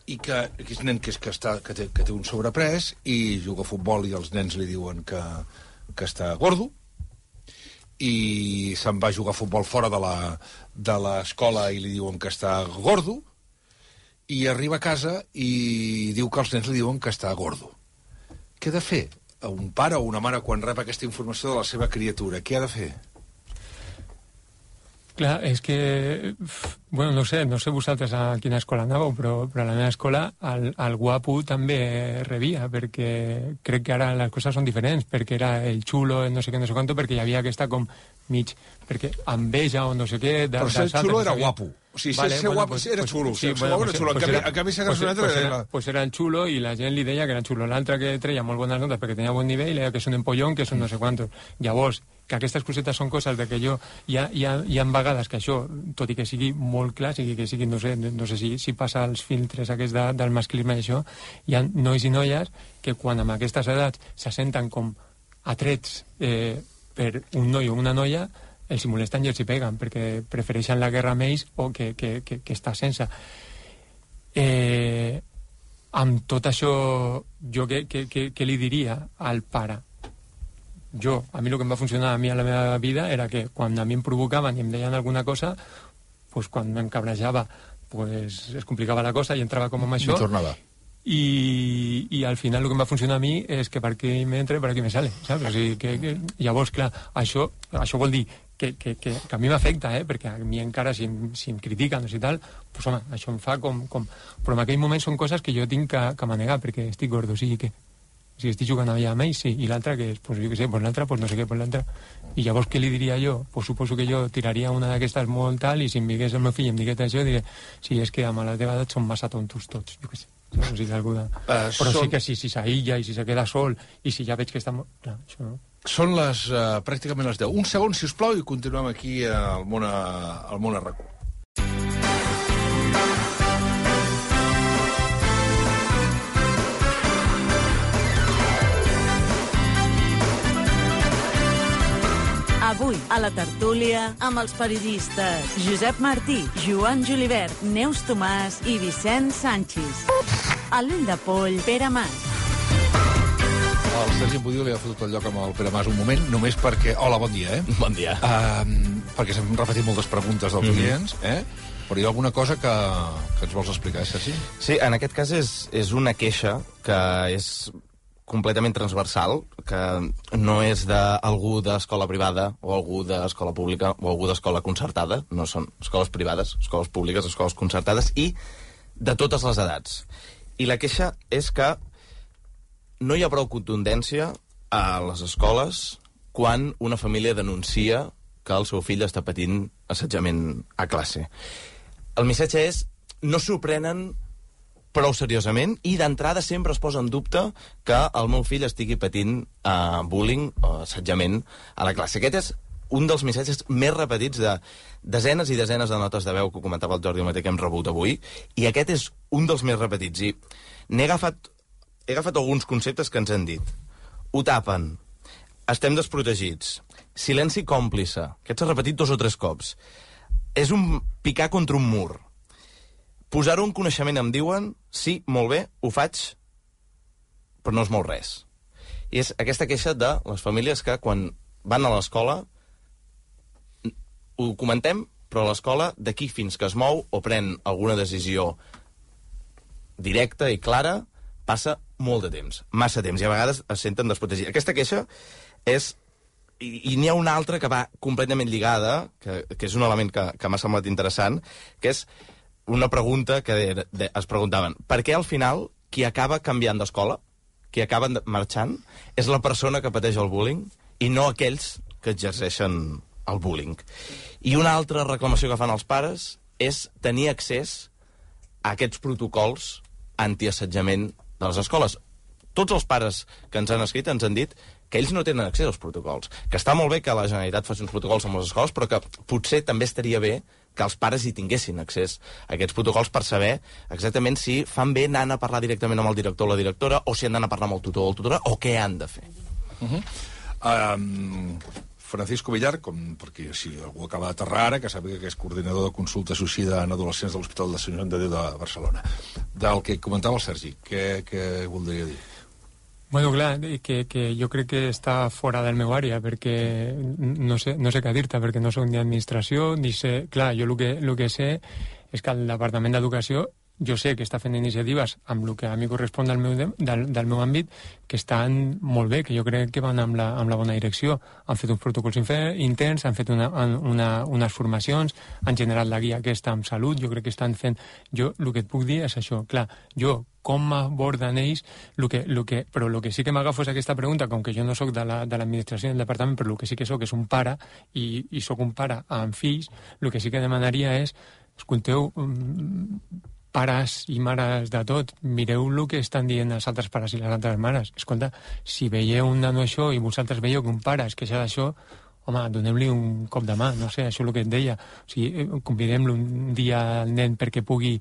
i que és un nen que té un sobrepès i juga a futbol i els nens li diuen que està gordo i se'n va a jugar a futbol fora de l'escola i li diuen que està gordo i arriba a casa i diu que els nens li diuen que està gordo. Què ha de fer un pare o una mare quan rep aquesta informació de la seva criatura? Què ha de fer? Clar, és que... Bueno, no sé vosaltres a quina escola anàveu, però a la meva escola el guapo també rebia, perquè crec que ara les coses són diferents, perquè era el xulo, el no sé què, no sé quanto, perquè hi havia aquesta com mig... Perquè enveja o no sé què... Però ser xulo era guapo. O sigui, ser guapo era xulo. Ser guapo era xulo. En canvi, ser grassonet era... Pues era el xulo i la gent li deia que era el xulo. L'altre que treia molt bones notes perquè tenia bon nivell, deia que és un empollón, que és un no sé quantos. Llavors, que aquestes cosetes són coses de que jo... Hi ha vegades que això, tot i que sigui molt clar, que sigui, no sé si passa els filtres aquests del masclisme i això, hi ha nois i noies que quan amb aquestes edats se senten com atrets per un noi o una noia, els hi molesten i els hi peguen, perquè prefereixen la guerra amb ells o que està sense. Amb tot això, jo què li diria al pare? A mi el que em va funcionar a mi a la meva vida era que quan a mi em provocaven i em deien alguna cosa, pues quan m'encabrejava pues es complicava la cosa i entrava com amb això. I tornava. i al final el que em va funcionar a mi és que per aquí m'entra i per aquí me sale, saps? O sigui, que llavors, clar, això vol dir que a mi m'afecta, perquè a mi encara si em critiquen i tal, pues, home, això em fa com... Però en aquell moment són coses que jo tinc que manegar perquè estic gordo, o sigui que si estic jugant allà amb ells, sí, i l'altre que és, pues jo què sé, pues l'altre, pues no sé què, pues l'altre. I llavors què li diria jo? Pues suposo que jo tiraria una d'aquestes molt tal i si em digués el meu fill i em digués això, diré, sí, és que amb la teva edat són massa tontos tots, jo què sé. O sigui, però sí que si s'aïlla i si se queda sol i si ja veig que està... Clar, això no. Són pràcticament les 10. Un segon, si us plau, i continuem aquí al món a RAC1. Avui, a la tertúlia, amb els periodistes Josep Martí, Joan Julivert, Neus Tomàs i Vicent Sanchis. A l'ull de poll, Pere Mas. El Sergi Budiu li ha fotut el lloc amb el Pere Mas un moment, només perquè... Hola, bon dia, Bon dia. Perquè s'han repetit moltes preguntes dels clients, Però hi ha alguna cosa que ens vols explicar, Sergi? Sí, en aquest cas és una queixa que és completament transversal, que no és d'algú d'escola privada o algú d'escola pública o algú d'escola concertada, no són escoles privades, escoles públiques, escoles concertades, i de totes les edats. I la queixa és que no hi ha prou contundència a les escoles quan una família denuncia que el seu fill està patint assetjament a classe. El missatge és, no s'ho prenen prou seriosament i d'entrada sempre es posa en dubte que el meu fill estigui patint bullying o assetjament a la classe. Aquest és un dels missatges més repetits de desenes i desenes de notes de veu que comentava el Jordi Mateu que hem rebut avui, i aquest és un dels més repetits. I he agafat alguns conceptes que ens han dit. Ho tapen, estem desprotegits, silenci còmplice, aquest s'ha repetit 2 o 3 cops, és un picar contra un mur, posar-ho en coneixement em diuen, sí, molt bé, ho faig, però no es mou res. I és aquesta queixa de les famílies que quan van a l'escola ho comentem, però a l'escola d'aquí fins que es mou o pren alguna decisió directa i clara passa molt de temps, massa temps, i a vegades es senten desprotegits. Aquesta queixa és... I n'hi ha una altra que va completament lligada, que és un element que m'ha semblat interessant, que és una pregunta que es preguntaven. Per què al final qui acaba canviant d'escola, qui acaba marxant, és la persona que pateix el bullying i no aquells que exerceixen el bullying? I una altra reclamació que fan els pares és tenir accés a aquests protocols antiassetjament de les escoles. Tots els pares que ens han escrit ens han dit que ells no tenen accés als protocols, que està molt bé que la Generalitat faci uns protocols amb les escoles, però que potser també estaria bé que els pares hi tinguessin accés a aquests protocols per saber exactament si fan bé anant a parlar directament amb el director o la directora, o si han d'anar a parlar amb el tutor o la tutora, o què han de fer. Francisco Villar, perquè si algú acaba d'aterrar ara, que sàpiga que és coordinador de consulta suïcida en adolescents de l'Hospital de Sant Joan de Déu de Barcelona. Del que comentava el Sergi, què voldria dir? Bueno, clar, que jo crec que està fora del meu àrea, perquè no sé què dir-te, perquè no soc ni administració, ni sé... Clar, jo el que sé és que el Departament d'Educació, jo sé que està fent iniciatives amb el que a mi correspon del meu àmbit, que estan molt bé, que jo crec que van amb la bona direcció. Han fet uns protocols interns, han fet unes formacions, han generat la guia aquesta amb salut, jo crec que estan fent... Jo el que et puc dir és això, clar, jo com m'aborden ells, però el que sí que m'agafo és aquesta pregunta, com que jo no sóc de l'administració del departament, però el que sí que sóc és un pare, i sóc un pare amb fills, el que sí que demanaria és, escolteu, pares i mares de tot, mireu el que estan dient els altres pares i les altres mares. Escolta, si veieu un nano això i vosaltres veieu que un pare es queixa d'això, home, donem-li un cop de mà, no sé, això és el que et deia. O sigui, convidem-lo un dia al nen perquè pugui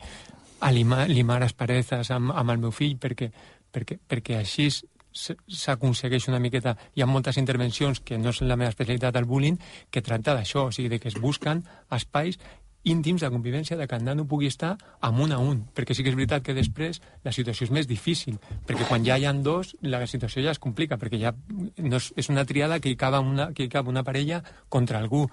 limar asperezes amb el meu fill, perquè així s'aconsegueix una miqueta. Hi ha moltes intervencions que no són la meva especialitat al bullying, que tracta d'això, o sigui, que es busquen espais íntims de convivència, de que el nano pugui estar amb un a un, perquè sí que és veritat que després la situació és més difícil, perquè quan ja hi ha dos, la situació ja es complica, perquè ja no és una triada que hi cap una parella contra algú.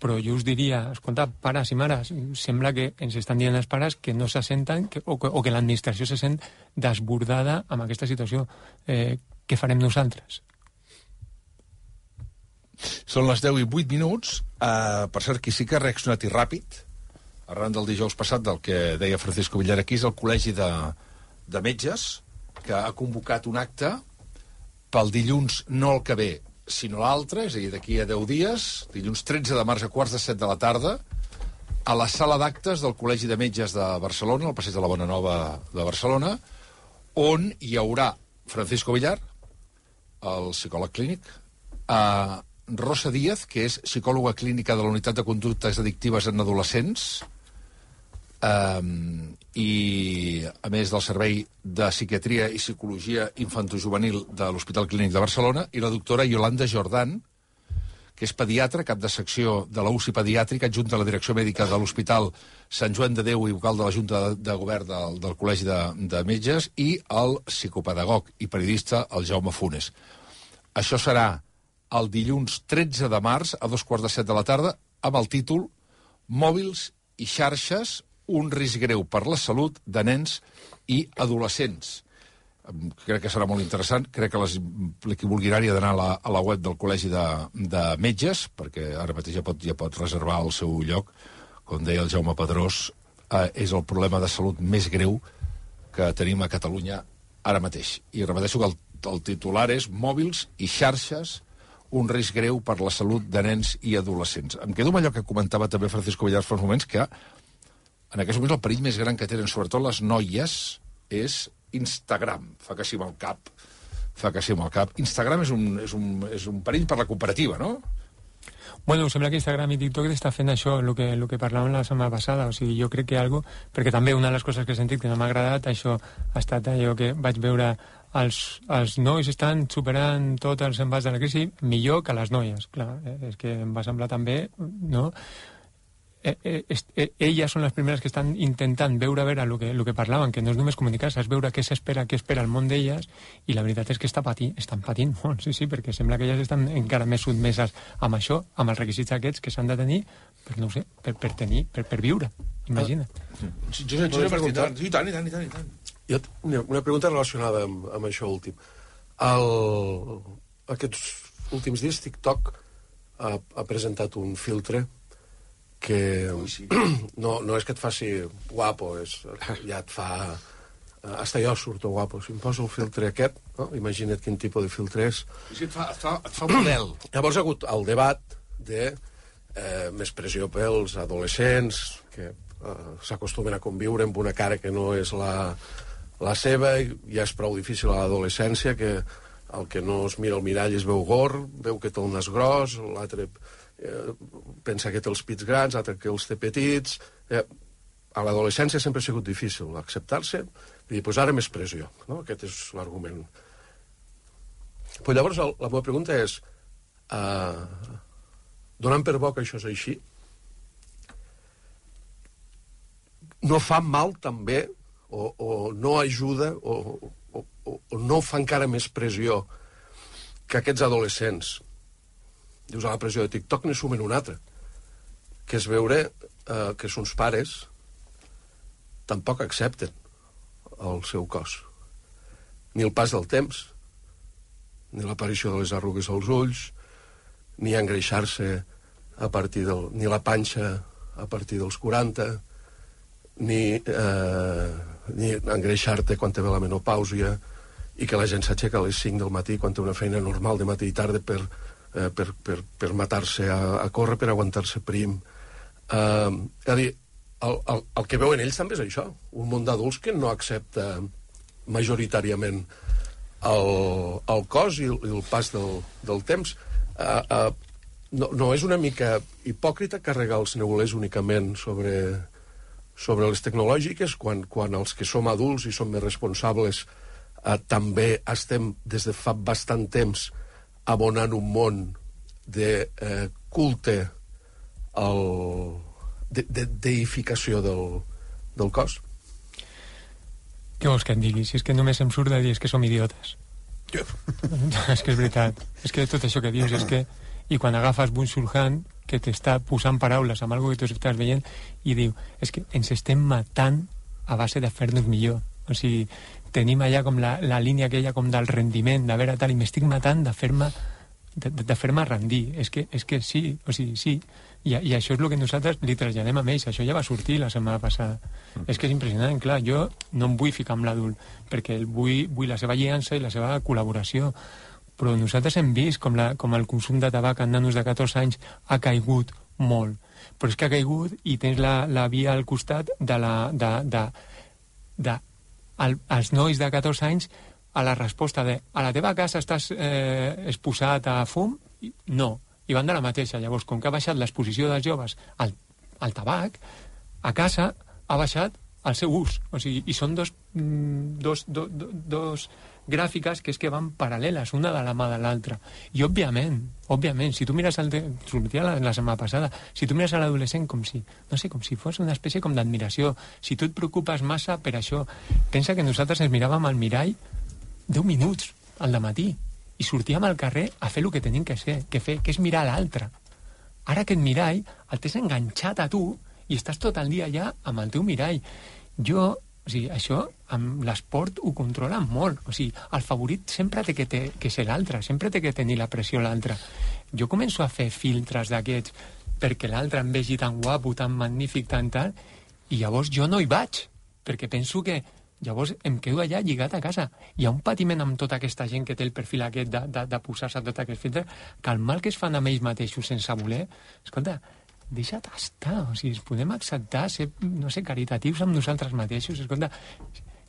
però jo us diria, escolta, pares i mares, sembla que ens estan dient els pares que no se senten o que l'administració se sent desbordada amb aquesta situació. Què farem nosaltres? Són les 10:08. Per cert, qui sí que ha reaccionat i ràpid, arran del dijous passat, del que deia Francisco Villar aquí, és el Col·legi de Metges, que ha convocat un acte pel dilluns, no el que ve, sinó l'altre, és a dir, d'aquí a 10 dies, dilluns 13 de març a 15:45 de la tarda, a la sala d'actes del Col·legi de Metges de Barcelona, al passeig de la Bona Nova de Barcelona, on hi haurà Francisco Villar, el psicòleg clínic, Rosa Díaz, que és psicòloga clínica de la Unitat de Conductes Addictives en Adolescents, i a més del Servei de Psiquiatria i Psicologia Infantojuvenil de l'Hospital Clínic de Barcelona, i la doctora Yolanda Jordan, que és pediatra, cap de secció de la UCI pediàtrica, adjunta a la direcció mèdica de l'Hospital Sant Joan de Déu i vocal de la Junta de Govern del Col·legi de Metges, i el psicopedagog i periodista, el Jaume Funes. Això serà el dilluns 13 de març a 2:15 de la tarda, amb el títol Mòbils i xarxes, un risc greu per la salut de nens i adolescents. Crec que serà molt interessant. Crec que qui vulgui anar-hi ha d'anar a la web del Col·legi de Metges, perquè ara mateix ja pot reservar el seu lloc. Com deia el Jaume Pedrós, és el problema de salut més greu que tenim a Catalunya ara mateix. I repeteixo que el titular és Mòbils i xarxes, un risc greu per la salut de nens i adolescents. Em quedo amb allò que comentava també Francisco Villar fa uns moments, que en aquests moments el perill més gran que tenen, sobretot les noies, és Instagram. Fa que sí amb el cap. Instagram és un perill per la cooperativa, no? Bueno, sembla que Instagram i TikTok està fent això, el que parlàvem la setmana passada. O sigui, jo crec que perquè també una de les coses que he sentit que no m'ha agradat, això ha estat allò que vaig veure, els nois estan superant tots els embats de la crisi millor que les noies. Clar, és que em va semblar també, no? Elles són les primeres que estan intentant veure el que parlaven, que no és només comunicar-se, és veure què espera el món d'elles, i la veritat és que estan patint molt, sí, perquè sembla que elles estan encara més sotmeses amb això, amb els requisits aquests que s'han de tenir, per, no ho sé, per viure, imagina't. Josep, I tant. Una pregunta relacionada amb això últim. Aquests últims dies TikTok ha presentat un filtre que no és que et faci guapo, ja et fa... Hasta jo surto guapo. Si em poso el filtre aquest, no? Imagina't quin tipus de filtre és. Sí, et fa model. Llavors ha hagut el debat de més pressió pels adolescents, que s'acostumen a conviure amb una cara que no és la seva, i ja és prou difícil a l'adolescència, que el que no es mira al mirall es veu gord, veu que té el nas gros, l'altre... pensa que té els pits grans, l'altre que els té petits. A l'adolescència sempre ha sigut difícil acceptar-se, i dir, doncs ara més pressió, no? Aquest és l'argument. Però llavors la meva pregunta és, donant per bo que això és així, no fa mal també, o no ajuda, o no fa encara més pressió que aquests adolescents, dius, a la pressió de TikTok ne sumen una altra, que és veure que sons pares tampoc accepten el seu cos. Ni el pas del temps, ni l'aparició de les arrugues als ulls, ni engreixar-se a partir ni la panxa a partir dels 40, ni engreixar-te quan te ve la menopàusia, i que la gent s'aixeca a les 5 del matí quan té una feina normal de matí i tarda per matar-se a córrer, per aguantar-se prim. És a dir, el que veuen ells també és això, un món d'adults que no accepta majoritàriament el cos i el pas del temps. No és una mica hipòcrita carregar els neulers únicament sobre les tecnològiques quan els que som adults i som més responsables també estem des de fa bastant temps abonant un món de culte, de deificació del cos? Què vols que et digui? Si és que només em surt de dir que som idiotes. És que és veritat. És que tot això que dius és que i quan agafes Byung-Chul Han, que t'està posant paraules amb alguna que tu estàs veient, i diu, és que ens estem matant a base de fer-nos millor. O sigui, tenim allà com la línia aquella com del rendiment, de veure tal, i m'estic matant de fer-me rendir. És que sí, o sigui, sí. I això és el que nosaltres li traslladem a ells. Això ja va sortir la setmana passada. És que és impressionant, clar. Jo no em vull ficar amb l'adult, perquè vull la seva aliança i la seva col·laboració. Però nosaltres hem vist com el consum de tabac en nanos de 14 anys ha caigut molt. Però és que ha caigut i tens la via al costat als nois de 14 anys a la resposta de a la teva casa estàs exposat a fum? No. I van de la mateixa. Llavors, com que ha baixat l'exposició dels joves al tabac, a casa ha baixat el seu ús. O sigui, i són dos gràfiques que és que van paral·leles, una de la mà de l'altra. I, òbviament, si tu mires sortia la setmana passada, si tu mires a l'adolescent com si fos una espècie com d'admiració, si tu et preocupes massa per això, pensa que nosaltres ens miràvem al mirall 10 minuts al dematí i sortíem al carrer a fer el que tenim que fer, que és mirar l'altre. Ara aquest mirall el tens enganxat a tu i estàs tot el dia allà amb el teu mirall. O sigui, això amb l'esport ho controla molt. O sigui, el favorit sempre té que ser l'altre, sempre té que tenir la pressió l'altre. Jo començo a fer filtres d'aquests perquè l'altre em vegi tan guapo, tan magnífic, tan tal, i llavors jo no hi vaig, perquè penso que llavors em quedo allà lligat a casa. Hi ha un patiment amb tota aquesta gent que té el perfil aquest de posar-se tot aquest filtre, que el mal que es fan amb ells mateixos sense voler, escolta, deixa't estar, o sigui, podem acceptar ser, no sé, caritatius amb nosaltres mateixos, escolta,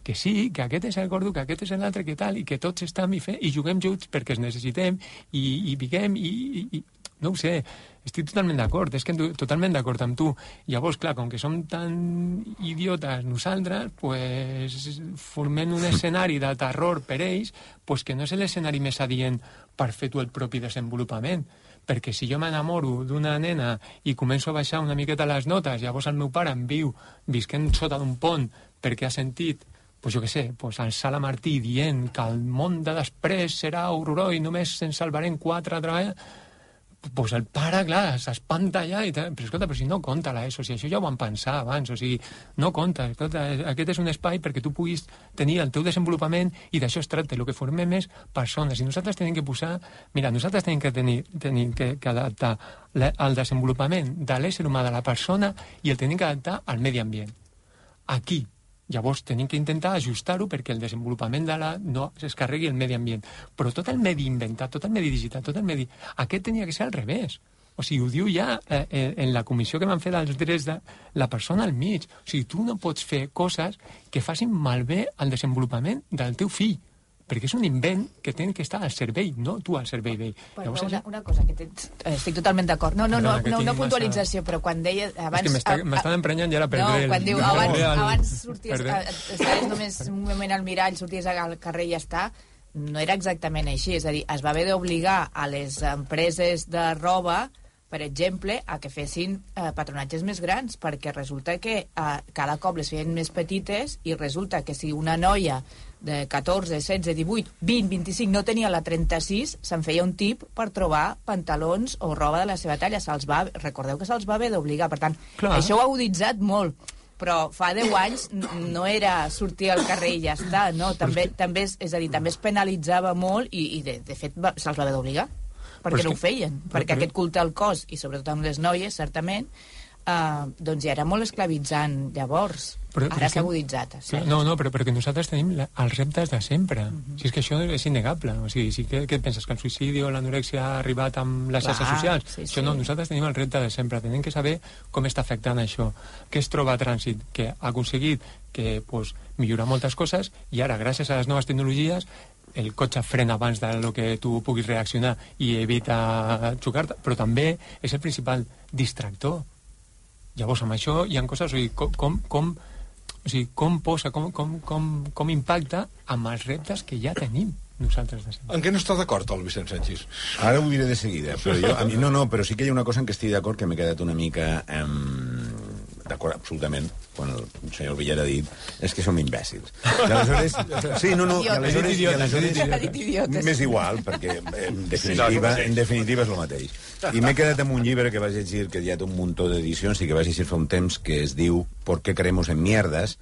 que sí, que aquest és el gordo, que aquest és l'altre, que tal, i que tots estem i juguem junts perquè es necessitem i viguem i no ho sé, estic totalment d'acord, és que totalment d'acord amb tu. Llavors, clar, com que som tan idiotes nosaltres, pues formem un escenari de terror per ells, pues que no és l'escenari més adient per fer tu el propi desenvolupament. Perquè si jo m'enamoro d'una nena i començo a baixar una miqueta les notes, llavors el meu pare em viu visquent sota d'un pont perquè ha sentit, pues jo què sé, pues el Sala Martí dient que el món de després serà horrorós i només se'n salvarem 4 a treballar, pues el pare, clar, s'espanta allà i tal. Però escolta, però si no compta l'ESO, si això ja ho vam pensar abans, o sigui, no compta, escolta, aquest és un espai perquè tu puguis tenir el teu desenvolupament i d'això es tracta, el que formem és persones, i nosaltres tenim que posar, mira, nosaltres tenim que adaptar el desenvolupament de l'ésser humà de la persona i el tenim que adaptar al medi ambient. Aquí. Llavors tenim que intentar ajustar-ho perquè el desenvolupament no es carregui el medi ambient. Però tot el medi inventat, tot el medi digital, tot el medi... Aquest tenia que ser al revés. O sigui, ho diu ja en la comissió que van fer dels drets de la persona al mig. O sigui, tu no pots fer coses que facin malbé el desenvolupament del teu fill. Perquè és un invent que té que estar al servei, no tu al servei d'ell. Però una cosa, que estic totalment d'acord. No puntualització, però quan deia... És que m'estan emprenyant ja la perdré. No, quan diu abans sorties, estaves només un moment al mirall, sorties al carrer i ja està, no era exactament així. És a dir, es va haver d'obligar a les empreses de roba, per exemple, a que fessin patronatges més grans, perquè resulta que cada cop les feien més petites i resulta que si una noia de 14, 16, 18, 20, 25 no tenia la 36, se'n feia un tip per trobar pantalons o roba de la seva talla. Recordeu que se'ls va haver d'obligar. Per tant, això ho ha aguditzat molt, però fa 10 anys no era sortir al carrer i ja està, no? També es penalitzava molt i de fet se'ls va haver d'obligar, perquè no ho feien, perquè aquest culte al cos, i sobretot amb les noies, certament, doncs ja era molt esclavitzant llavors. Ara s'ha aguditzat. No, però perquè nosaltres tenim els reptes de sempre. Si és que això és innegable. O sigui, si què et penses, que el suïcidi o l'anorèxia ha arribat amb les xarxes socials? Això no, nosaltres tenim el repte de sempre. Tenim que saber com està afectant això. Què es troba a trànsit? Que ha aconseguit que millorar moltes coses i ara, gràcies a les noves tecnologies, el cotxe frena abans del que tu puguis reaccionar i evita xocar-te, però també és el principal distractor. Llavors, amb això hi ha coses, o sigui, com impacta amb els reptes que ja tenim nosaltres. En què no està d'acord el Vicent Sanchis? Ara ho diré de seguida, però però sí que hi ha una cosa en què estic d'acord que m'he quedat una mica d'acord absolutament quan el senyor Villar ha dit és que som imbècils. I aleshores... Sí, no, i aleshores m'és igual, perquè en definitiva és el mateix. I m'he quedat amb un llibre que vaig llegir, que ja té un muntó d'edicions i que vaig llegir fa un temps, que es diu ¿Por qué creemos en mierdas?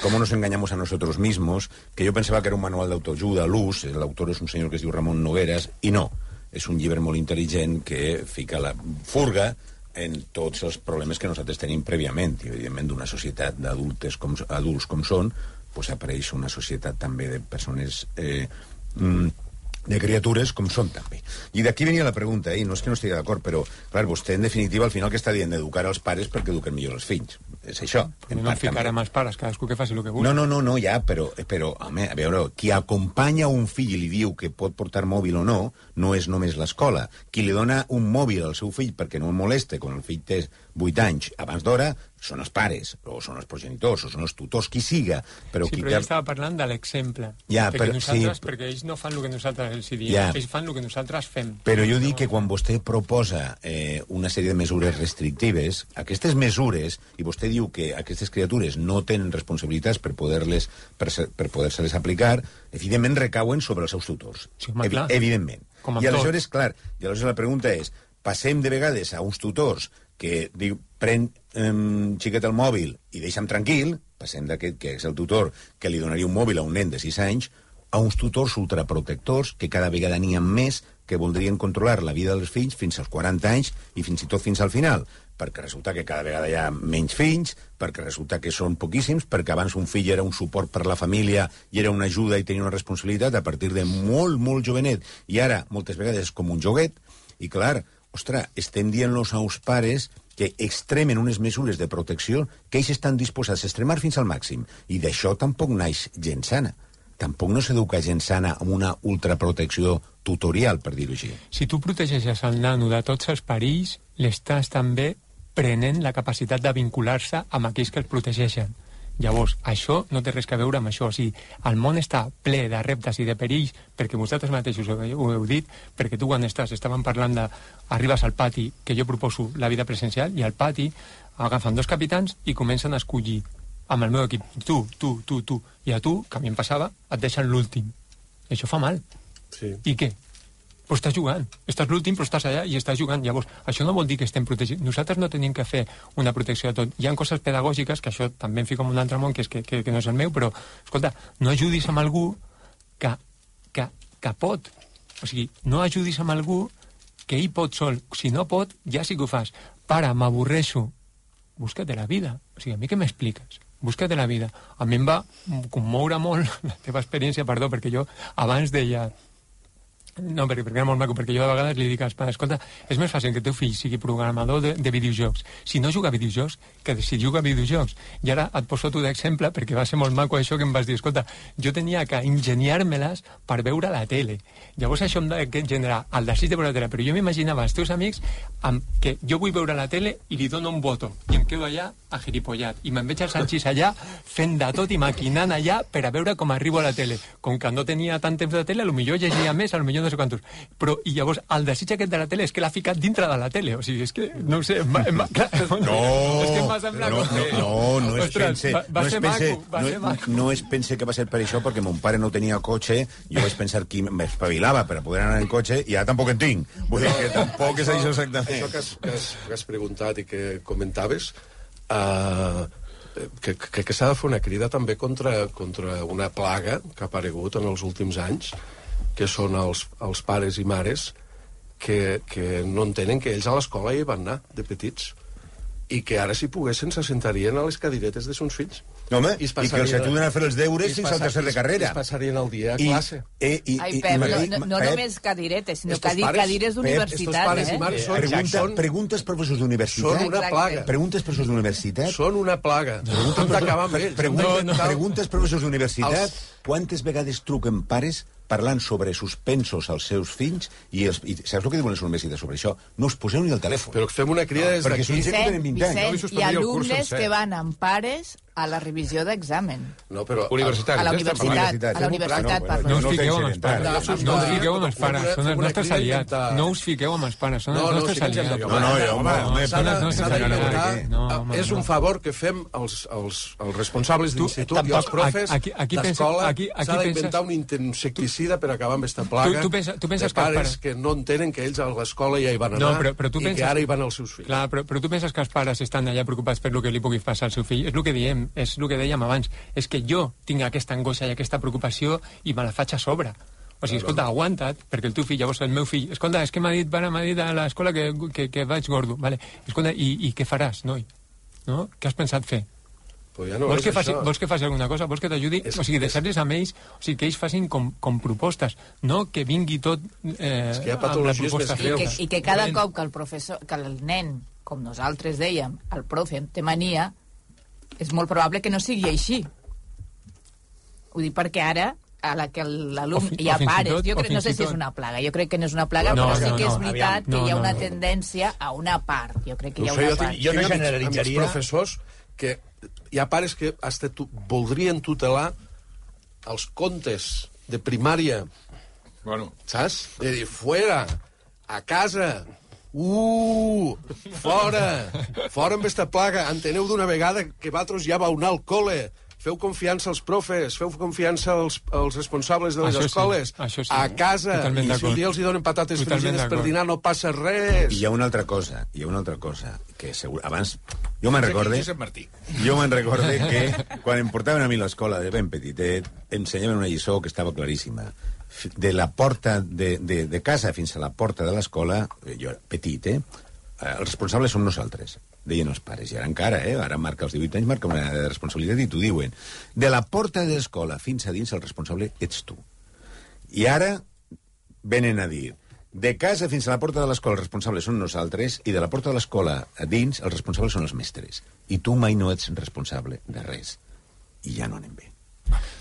¿Cómo nos engañamos a nosotros mismos? Que jo pensava que era un manual d'autoajuda a l'ús, l'autor és un senyor que es diu Ramon Nogueras, i no, és un llibre molt intel·ligent que fica la furga en tots els problemes que nosaltres tenim prèviament, i evidentment d'una societat d'adults com són, pues apareix una societat també de persones de criatures com són també. I d'aquí venia la pregunta, i no és que no estigui d'acord, però clar, vostè en definitiva al final que està dient d'educar els pares perquè eduquen millor els fills. És això. No ficarem els pares, cadascú que faci el que vulgui. No, ja, però home, a veure, qui acompanya un fill i li diu que pot portar mòbil o no, no és només l'escola. Qui li dona un mòbil al seu fill perquè no el moleste quan el fill té 8 anys abans d'hora, són els pares, o són els progenitors, o són els tutors, qui siga. Però sí, però jo estava parlant de l'exemple. Ja, perquè ells no fan el que nosaltres els diem, ells fan el que nosaltres fem. Però jo dic que quan vostè proposa una sèrie de mesures restrictives, aquestes mesures, i vostè diu que aquestes criatures no tenen responsabilitats per poder-se-les aplicar, evidentment recauen sobre els seus tutors. Sí, home, clar. Evidentment. I aleshores, clar, la pregunta és, passem de vegades a uns tutors que diu, pren xiquet el mòbil i deixa'm tranquil, passem d'aquest que és el tutor que li donaria un mòbil a un nen de 6 anys, a uns tutors ultraprotectors que cada vegada n'hi ha més que voldrien controlar la vida dels fills fins als 40 anys i fins i tot fins al final, perquè resulta que cada vegada hi ha menys fills, perquè resulta que són poquíssims, perquè abans un fill era un suport per la família i era una ajuda i tenia una responsabilitat a partir de molt, molt jovenet, i ara moltes vegades és com un joguet, i clar, ostres, estem dient-los als pares que extremen unes mesures de protecció que ells estan disposats a extremar fins al màxim, i d'això tampoc naix gent sana. Tampoc no s'educa gent sana amb una ultraprotecció tutorial, per dir-ho així. Si tu protegeixes el nano de tots els perills, l'estàs també prenent la capacitat de vincular-se amb aquells que els protegeixen. Llavors, això no té res a veure amb això. O sigui, el món està ple de reptes i de perills, perquè vosaltres mateixos ho heu dit, perquè tu quan estàvem parlant de... Arribes al pati, que jo proposo la vida presencial, i al pati agafen 2 capitans i comencen a escollir amb el meu equip, tu, i a tu, que a mi em passava, et deixen l'últim. Això fa mal. Sí. I què? Però estàs jugant. Estàs l'últim, però estàs allà i estàs jugant. Llavors, això no vol dir que estem protegits. Nosaltres no tenim que fer una protecció de tot. Hi ha coses pedagògiques, que això també em fico en un altre món, que no és el meu, però, escolta, no ajudis amb algú que pot. O sigui, no ajudis amb algú que ell pot sol. Si no pot, ja sí que ho fas. Pare, m'avorreixo. Búscate la vida. O sigui, a mi què m'expliques? Búscate la vida. A mi em va commoure molt la teva experiència, perdó, perquè jo abans deia... No, perquè era molt maco, perquè jo de vegades li dic als pares, escolta, és més fàcil que el teu fill sigui programador de videojocs. Si no juga a videojocs, que si juga a videojocs. I ara et poso tu d'exemple, perquè va ser molt maco això que em vas dir, escolta, jo tenia que ingeniar-me-les per veure la tele. Llavors això em genera el desig de veure la tele, però jo m'imaginava els teus amics que jo vull veure la tele i li dono un botó, i em quedo allà agilipollat, i me'n veig al Sanchís allà fent de tot i maquinant allà per a veure com arribo a la tele. Com que no tenia tant temps de tele, potser llegia més, potser no sé quantos. Però, i llavors, el desig aquest de la tele és que l'ha ficat dintre de la tele. O sigui, és que, no ho sé... És que em va semblar... No es pense que va ser per això, perquè mon pare no tenia cotxe, jo vaig pensar que m'espavilava per a poder anar en cotxe, i ara tampoc en tinc. Vull dir que tampoc és això exactament. Això que has preguntat i que comentaves, que s'ha de fer una crida també contra una plaga que ha aparegut en els últims anys, que són els pares i mares que no entenen que ells a l'escola hi van anar de petits i que ara, si poguessin, se sentarien a les cadiretes de sons fills. No, home, i que els ajuden a fer els deures fins al tercer de carrera. I es passarien el dia a classe. Ai, Pep, no només cadiretes, sinó cadires d'universitat. Preguntes professors d'universitat. Són una plaga. Preguntes professors d'universitat. Són una plaga. Preguntes professors d'universitat. Quantes vegades truquen pares parlant sobre suspensos als seus fills i saps el que diuen les universitats sobre això? No us poseu ni el telèfon. Però fem una crida des d'aquí. Vicent, hi ha alumnes que van amb pares A la revisió d'examen. No, però... Universitari. A la universitat, parlo. No us fiqueu amb els pares. No us fiqueu amb els pares. Són els nostres aliats. No us fiqueu amb els pares. Són els nostres aliats. És un favor que fem els responsables d'institut i els profes d'escola. S'ha d'inventar un insecticida per acabar amb aquesta plaga de pares que no entenen que ells a l'escola ja hi van anar i que ara hi van els seus fills. Clar, però tu penses que els pares estan allà preocupats per el que li pugui passar al seu fill? És el que diem, és el que dèiem abans. És que jo tinc aquesta angoixa i aquesta preocupació i me la faig a sobre. O sigui, escolta, aguanta't, perquè el teu fill, llavors el meu fill... Escolta, és que m'ha dit a l'escola que vaig gordo. Vale. Escolta, i què faràs, noi? No? Què has pensat fer? Pues ja no vols que faci alguna cosa? Vols que t'ajudi? O sigui, deixar-les amb ells, o sigui, que ells facin com propostes, no que vingui tot és que hi ha patologies més greus. I que cada cop que el nen, com nosaltres dèiem, el profe té mania, és molt probable que no sigui així. Ho dic perquè ara, a la que l'alumne hi ha pares, jo crec, no sé si és una plaga, jo crec que no és una plaga, però sí que és veritat que hi ha una tendència a una part. Jo crec que hi ha una part. Jo no generalitzaria... Amb els professors que hi ha pares que voldrien tutelar els contes de primària. Bueno. Saps? De dir, fuera, a casa, fora amb esta plaga, enteneu d'una vegada que vosaltres ja vau anar al col·le, feu confiança als profes, feu confiança als responsables de les escoles, a casa, i si un dia els hi donen patates fregides per dinar no passa res. I hi ha una altra cosa, que abans... Jo me'n recorde que quan em portaven a mi a l'escola de ben petitet, ensenyaven una lliçó que estava claríssima. De la porta de casa fins a la porta de l'escola, jo era petit, els responsables som nosaltres, deien els pares, i ara encara, ara marca els 18 anys, marca una responsabilitat i t'ho diuen. De la porta de l'escola fins a dins el responsable ets tu. I ara venen a dir, de casa fins a la porta de l'escola els responsables són nosaltres i de la porta de l'escola a dins els responsables són els mestres. I tu mai no ets responsable de res. I ja no anem bé.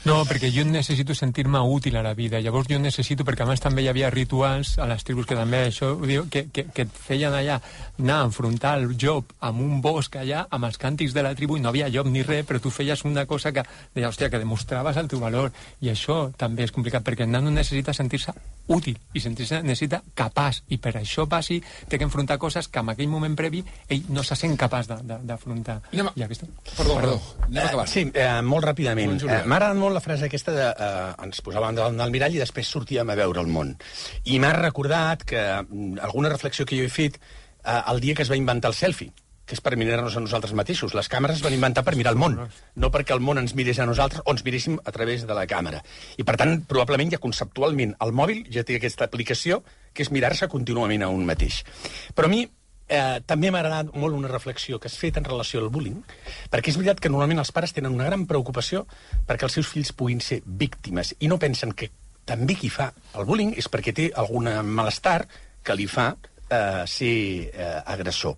No, perquè jo necessito sentir-me útil a la vida. Llavors jo necessito, perquè abans també hi havia rituals a les tribus que també això ho diu, que et feien allà anar a enfrontar el llop amb un bosc allà, amb els càntics de la tribu, i no havia llop ni res, però tu feies una cosa que deia, hòstia, que demostraves el teu valor. I això també és complicat, perquè el nano necessita sentir-se útil i sentir-se necessita capaç, i per això passi té que enfrontar coses que en aquell moment previ ell no se sent capaç d'afrontar. Perdó. Anem acabant. Sí, molt ràpidament. M'ha agradat molt la frase aquesta de ens posàvem davant del mirall i després sortíem a veure el món. I m'ha recordat que alguna reflexió que jo he fet el dia que es va inventar el selfie, que és per mirar-nos a nosaltres mateixos. Les càmeres es van inventar per mirar el món, no perquè el món ens mirés a nosaltres o ens miréssim a través de la càmera. I, per tant, probablement ja conceptualment el mòbil ja té aquesta aplicació que és mirar-se contínuament a un mateix. Però a mi també m'ha agradat molt una reflexió que has fet en relació al bullying, perquè és veritat que normalment els pares tenen una gran preocupació perquè els seus fills puguin ser víctimes i no pensen que també qui fa el bullying és perquè té algun malestar que li fa ser agressor.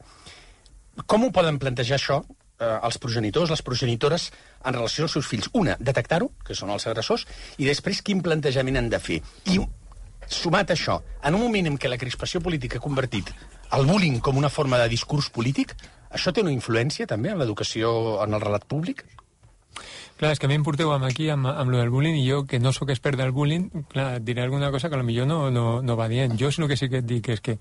Com ho poden plantejar això els progenitors, les progenitores en relació als seus fills? Una, detectar-ho, que són els agressors, i després quin plantejament han de fer. I sumat a això, en un moment en què la crispació política ha convertit el bullying com una forma de discurs polític, això té una influència també en l'educació, en el relat públic? Clar, és que a mi em porteu aquí amb lo del bullying i jo, que no sóc expert del bullying, clar, et diré alguna cosa que potser no va dient. Jo el que sí que et dic és que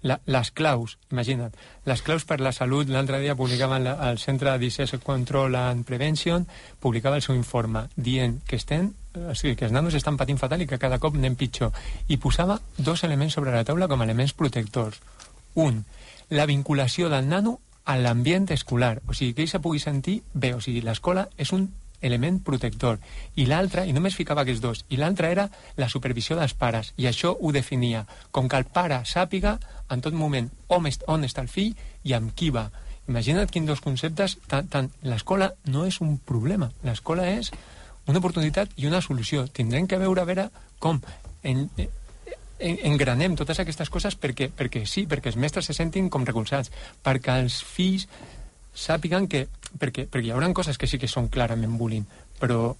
les claus, imagina't, les claus per la salut, l'altre dia publicaven el Centre Disease Control and Prevention, publicava el seu informe dient que que els nanos estan patint fatal i que cada cop anem pitjor. I posava dos elements sobre la taula com a elements protectors. Un, la vinculació del nano a l'ambient escolar, o sigui, que ell se pugui sentir bé, o sigui, l'escola és un element protector. I l'altre, i només ficava aquests dos, i l'altre era la supervisió dels pares, i això ho definia com que el pare sàpiga en tot moment on està el fill i amb qui va. Imagina't quins dos conceptes, l'escola no és un problema, l'escola és una oportunitat i una solució. Tindrem que veure a veure com engranem totes aquestes coses perquè sí, perquè els mestres se sentin com recolzats, perquè els fills sàpiguen que... Perquè hi haurà coses que sí que són clarament bullying, però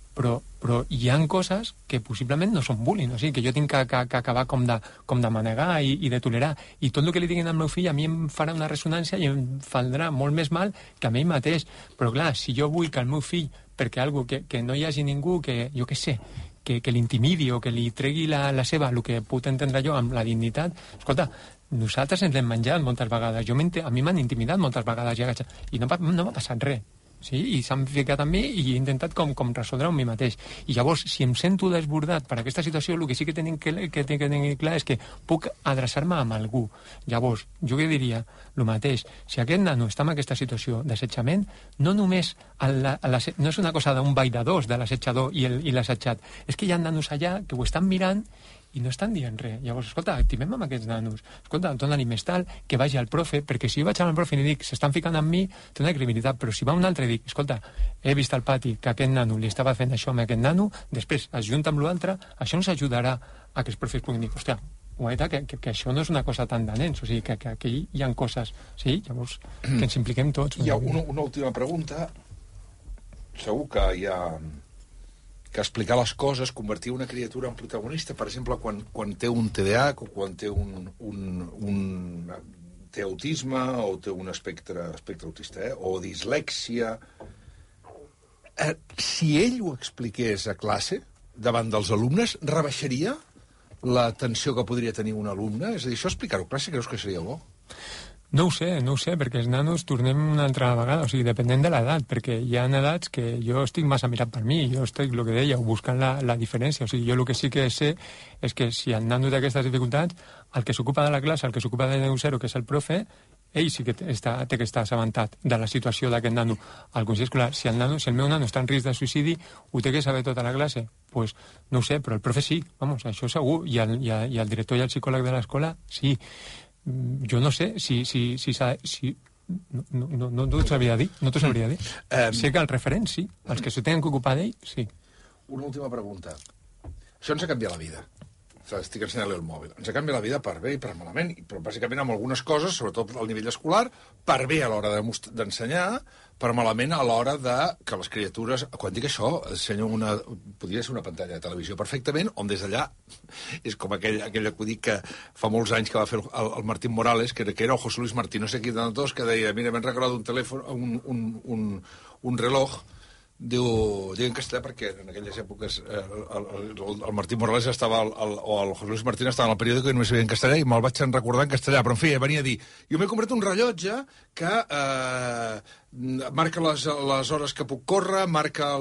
hi ha coses que possiblement no són bullying, o sigui, que jo tinc que acabar com de manegar i de tolerar. I tot el que li diguin al meu fill a mi em farà una ressonància i em faldrà molt més mal que a mi mateix. Però clar, si jo vull que el meu fill, perquè algo que no hi hagi ningú que, jo què sé, que l'intimidi o que li tregui la seva, el que puc entendre jo amb la dignitat, escolta, nosaltres ens l'hem menjat moltes vegades. A mi m'han intimidat moltes vegades i no m'ha passat res. Sí? I s'han ficat amb mi i he intentat com resoldre amb mi mateix. I llavors, si em sento desbordat per aquesta situació, el que sí que tinc que tenir clar és que puc adreçar-me amb algú. Llavors, jo què diria? El mateix. Si aquest nano està en aquesta situació d'assetjament, no només no és una cosa d'un ball de dos de l'assetjador i l'assetjat. És que hi ha nanos allà que ho estan mirant i no estan dient res. Llavors, escolta, activem amb aquests nanos. Escolta, dona-li més tal, que vagi al profe, perquè si jo vaig al profe i li dic, s'estan ficant amb mi, té una credibilitat, però si va un altre i dic, escolta, he vist al pati que aquest nano li estava fent això amb aquest nano, després es junta amb l'altre, això ens ajudarà a que els profes puguin dir, hòstia, que això no és una cosa tan de nens, o sigui, que aquí hi ha coses, sí? Llavors, que ens impliquem tots. Hi ha una última pregunta. Segur que hi ha... que explicar les coses, convertir una criatura en protagonista, per exemple, quan té un TDAH o quan té té autisme o té un espectre autista, o dislèxia. Si ell ho expliqués a classe, davant dels alumnes, rebaixaria la tensió que podria tenir un alumne? És a dir, això explicar-ho a classe creus que seria bo? No ho sé, perquè els nanos tornem una altra vegada, o sigui, depenent de l'edat, perquè hi ha edats que jo estic massa mirat per mi, jo estic, el que dèieu, buscant la diferència, o sigui, jo el que sí que sé és que si el nano té aquestes dificultats, el que s'ocupa de la classe, el que s'ocupa de 0, que és el profe, ell sí que té que estar assabentat de la situació d'aquest nano. Al consell escolar, si el meu nano està en risc de suïcidi, ho té que saber tota la classe? Pues no ho sé, però el profe sí, vamos, això segur, i el director i el psicòleg de l'escola sí. Jo no sé si no t'ho sabria dir, sé que el referent sí, els que s'ho tenen que ocupar d'ell, sí. Una última pregunta. Això ens ha canviat la vida. Estic ensenyant-li el mòbil. Ens ha canviat la vida per bé i per malament, però bàsicament amb algunes coses, sobretot al nivell escolar, per bé a l'hora d'ensenyar, per malament a l'hora que les criatures... Quan dic això, podria ser una pantalla de televisió perfectament, on des d'allà és com aquell acudit que fa molts anys que va fer el Martín Morales, que era el José Luis Martín, no sé qui de tots, que deia, mira, m'han regalat un telèfon, un reloj, diu en castellà perquè en aquelles èpoques el Martín Morales estava o el José Luis Martín estava en el periòdico i només sabia en castellà i me'l vaig recordar en castellà, però en fi, venia a dir jo m'he comprat un rellotge que marca les hores que puc córrer, marca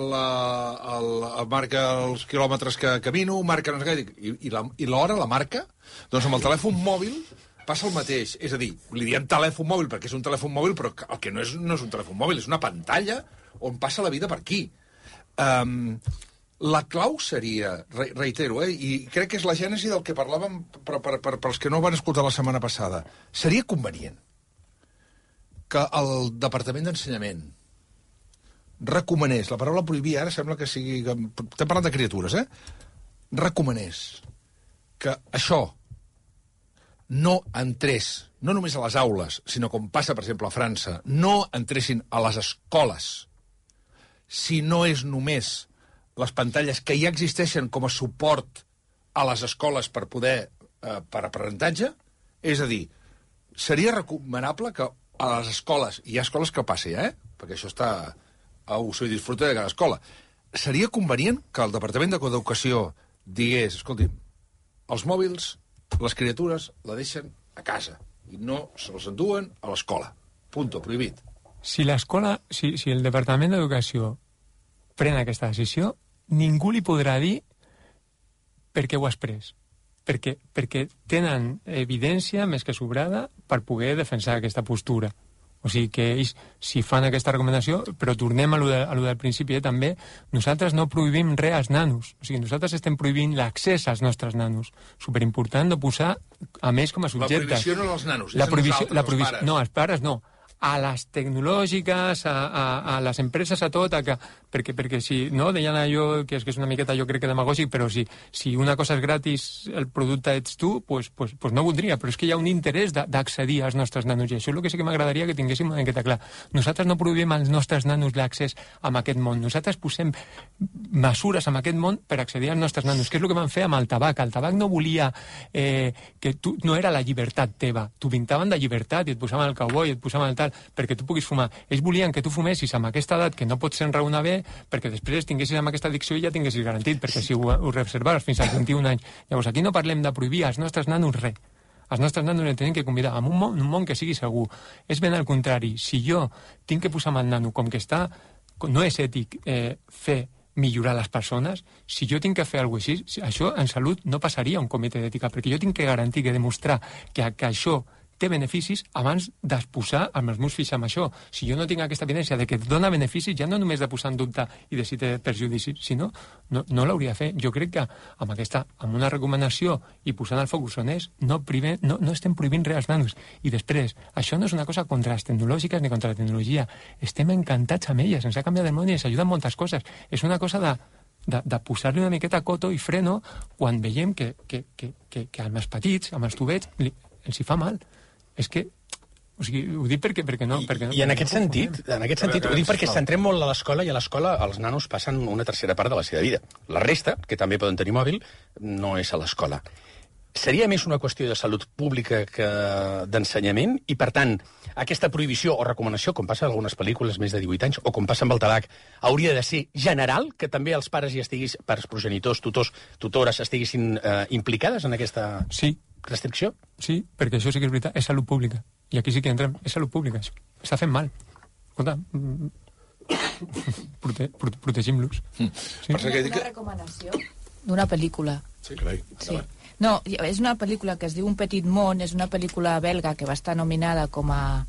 els quilòmetres que camino, marca i l'hora la marca, doncs amb el telèfon mòbil passa el mateix, és a dir, li diem telèfon mòbil perquè és un telèfon mòbil, però el que no és un telèfon mòbil, és una pantalla on passa la vida per aquí. La clau seria, reitero, i crec que és la gènesi del que parlàvem per als que no van escoltar la setmana passada, seria convenient que el Departament d'Ensenyament recomanés, la paraula prohibir ara sembla que sigui... Estem parlant de criatures, recomanés que això no entrés, no només a les aules, sinó com passa, per exemple, a França, no entressin a les escoles, si no és només les pantalles que ja existeixen com a suport a les escoles per poder, per aprenentatge, és a dir, seria recomanable que a les escoles, i hi ha escoles que passi, perquè això està a uso i disfrute de cada escola, seria convenient que el Departament d'Educació digués, escolti'm, els mòbils, les criatures la deixen a casa i no se'ls enduen a l'escola. Punto, prohibit. Si l'escola, si el Departament d'Educació pren aquesta decisió, ningú li podrà dir per què ho has pres. Perquè tenen evidència més que sobrada per poder defensar aquesta postura. O sigui que ells, si fan aquesta recomanació, però tornem a lo del principi, també, nosaltres no prohibim res als nanos. O sigui, nosaltres estem prohibint l'accés als nostres nanos. Superimportant no posar a més com a subjectes. La prohibició no als nanos, és a nosaltres, els pares. No, als pares no. a les tecnològiques, a les empreses, a tot, perquè si, no, deien allò, que és una miqueta, jo crec que demagògic, però si una cosa és gratis, el producte ets tu, pues no voldria, però és que hi ha un interès d'accedir als nostres nanos, i això és el que sí que m'agradaria que tinguéssim una miqueta clar. Nosaltres no prohibim als nostres nanos l'accés a aquest món, nosaltres posem mesures en aquest món per accedir als nostres nanos, que és el que van fer amb el tabac. El tabac no volia no era la llibertat teva, t'ho pintaven de llibertat, i et posaven el cowboy, et posaven el tal, perquè tu puguis fumar. Ells volien que tu fumessis amb aquesta edat que no pots enraonar bé, perquè després tinguessis amb aquesta addicció i ja tinguessis garantit, perquè si ho reservaves fins als 21 anys. Llavors, aquí no parlem de prohibir als nostres nanos res. Els nostres nanos els tenim que convidar a un món que sigui segur. És ben al contrari. Si jo tinc que posar amb el nano com que està, no és ètic fer millorar les persones, si jo tinc que fer alguna cosa així, això en salut no passaria a un comitè d'ètica, perquè jo tinc que garantir, que demostrar que això té beneficis abans d'exposar els meus fills amb això. Si jo no tinc aquesta evidència de que et dona beneficis, ja no només de posar en dubte i de si té perjudicis, sinó no l'hauria de fer. Jo crec que amb una recomanació i posant el focus on és, no estem prohibint res als nanos. I després, això no és una cosa contra les tecnològiques ni contra la tecnologia. Estem encantats amb elles, ens ha canviat el món i ens ajuda en moltes coses. És una cosa de posar-li una miqueta coto i freno quan veiem que als més petits, amb els tubets, els hi fa mal. És que, o sigui, ho dic perquè no... I en aquest sentit, ho dic perquè centrem molt a l'escola, i a l'escola els nanos passen una tercera part de la seva vida. La resta, que també poden tenir mòbil, no és a l'escola. Seria més una qüestió de salut pública que d'ensenyament, i per tant, aquesta prohibició o recomanació, com passa en algunes pel·lícules més de 18 anys, o com passa amb el tabac, hauria de ser general, que també els pares pares progenitors, tutors, tutores, estiguessin implicades en aquesta... Sí. Restricció? Sí, perquè això sí que és veritat, és salut pública. I aquí sí que entrem, és salut pública, això. Està fent mal. Escolta, protegim-los. Sí. Una recomanació d'una pel·lícula. Sí, carai. Sí. No, és una pel·lícula que es diu Un petit món, és una pel·lícula belga que va estar nominada com a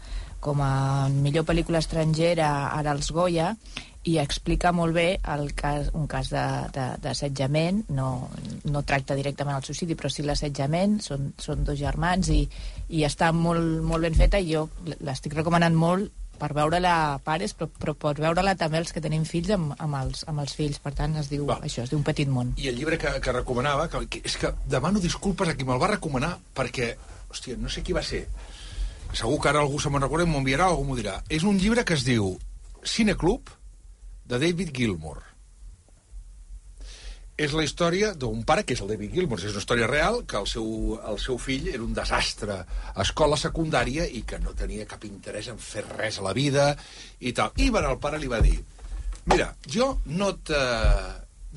millor pel·lícula estrangera ara als Goya, i explica molt bé un cas d'assetjament, no tracta directament el suïcidi, però sí l'assetjament, són dos germans, i està molt ben feta, i jo l'estic recomanant molt per veure-la pares, però per veure-la també els que tenim fills amb els fills. Per tant, es diu Un petit món. I el llibre que recomanava, és que demano disculpes a qui me'l va recomanar, perquè, hòstia, no sé qui va ser. Segur que ara algú se me'n recorda i m'ho enviarà o algú m'ho dirà. És un llibre que es diu Cineclub, de David Gilmour. És la història d'un pare, que és el David Gilmour, és una història real, que el seu fill era un desastre a escola secundària i que no tenia cap interès en fer res a la vida i tal. I el pare li va dir: mira, jo no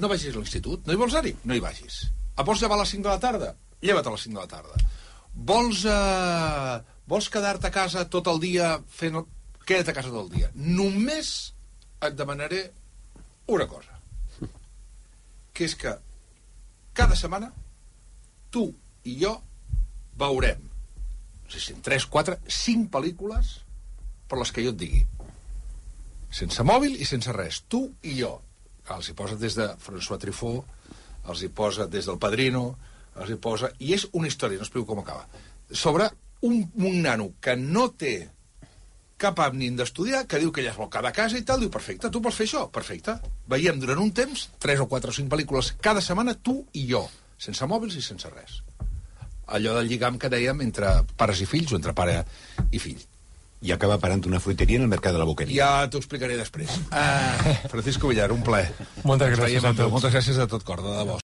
vagis a l'institut, no hi vols anar-hi? No hi vagis. Vols llevar a les 5 de la tarda? Lleva't a les 5 de la tarda. Vols quedar-te a casa tot el dia fent... Queda't a casa tot el dia. Només et demanaré una cosa, que és que cada setmana tu i jo veurem, no sé si en 3, 4, 5 pel·lícules per les que jo et digui, sense mòbil i sense res, tu i jo. Els hi posa des de François Truffaut, els hi posa des del Padrino, els hi posa... I és una història, no explico com acaba, sobre un nano que no té cap ànim d'estudiar, que diu que ella es vol quedar a casa i tal, diu, perfecte, tu vols fer això? Perfecte. Veiem durant un temps 3 o 4 o 5 pel·lícules cada setmana, tu i jo, sense mòbils i sense res. Allò del lligam que dèiem entre pares i fills o entre pare i fill. I acaba parant una fruiteria en el mercat de la Boqueria. Ja t'ho explicaré després. Francisco Villar, un plaer. Moltes gràcies a tots. Moltes gràcies de tot cor, de debò.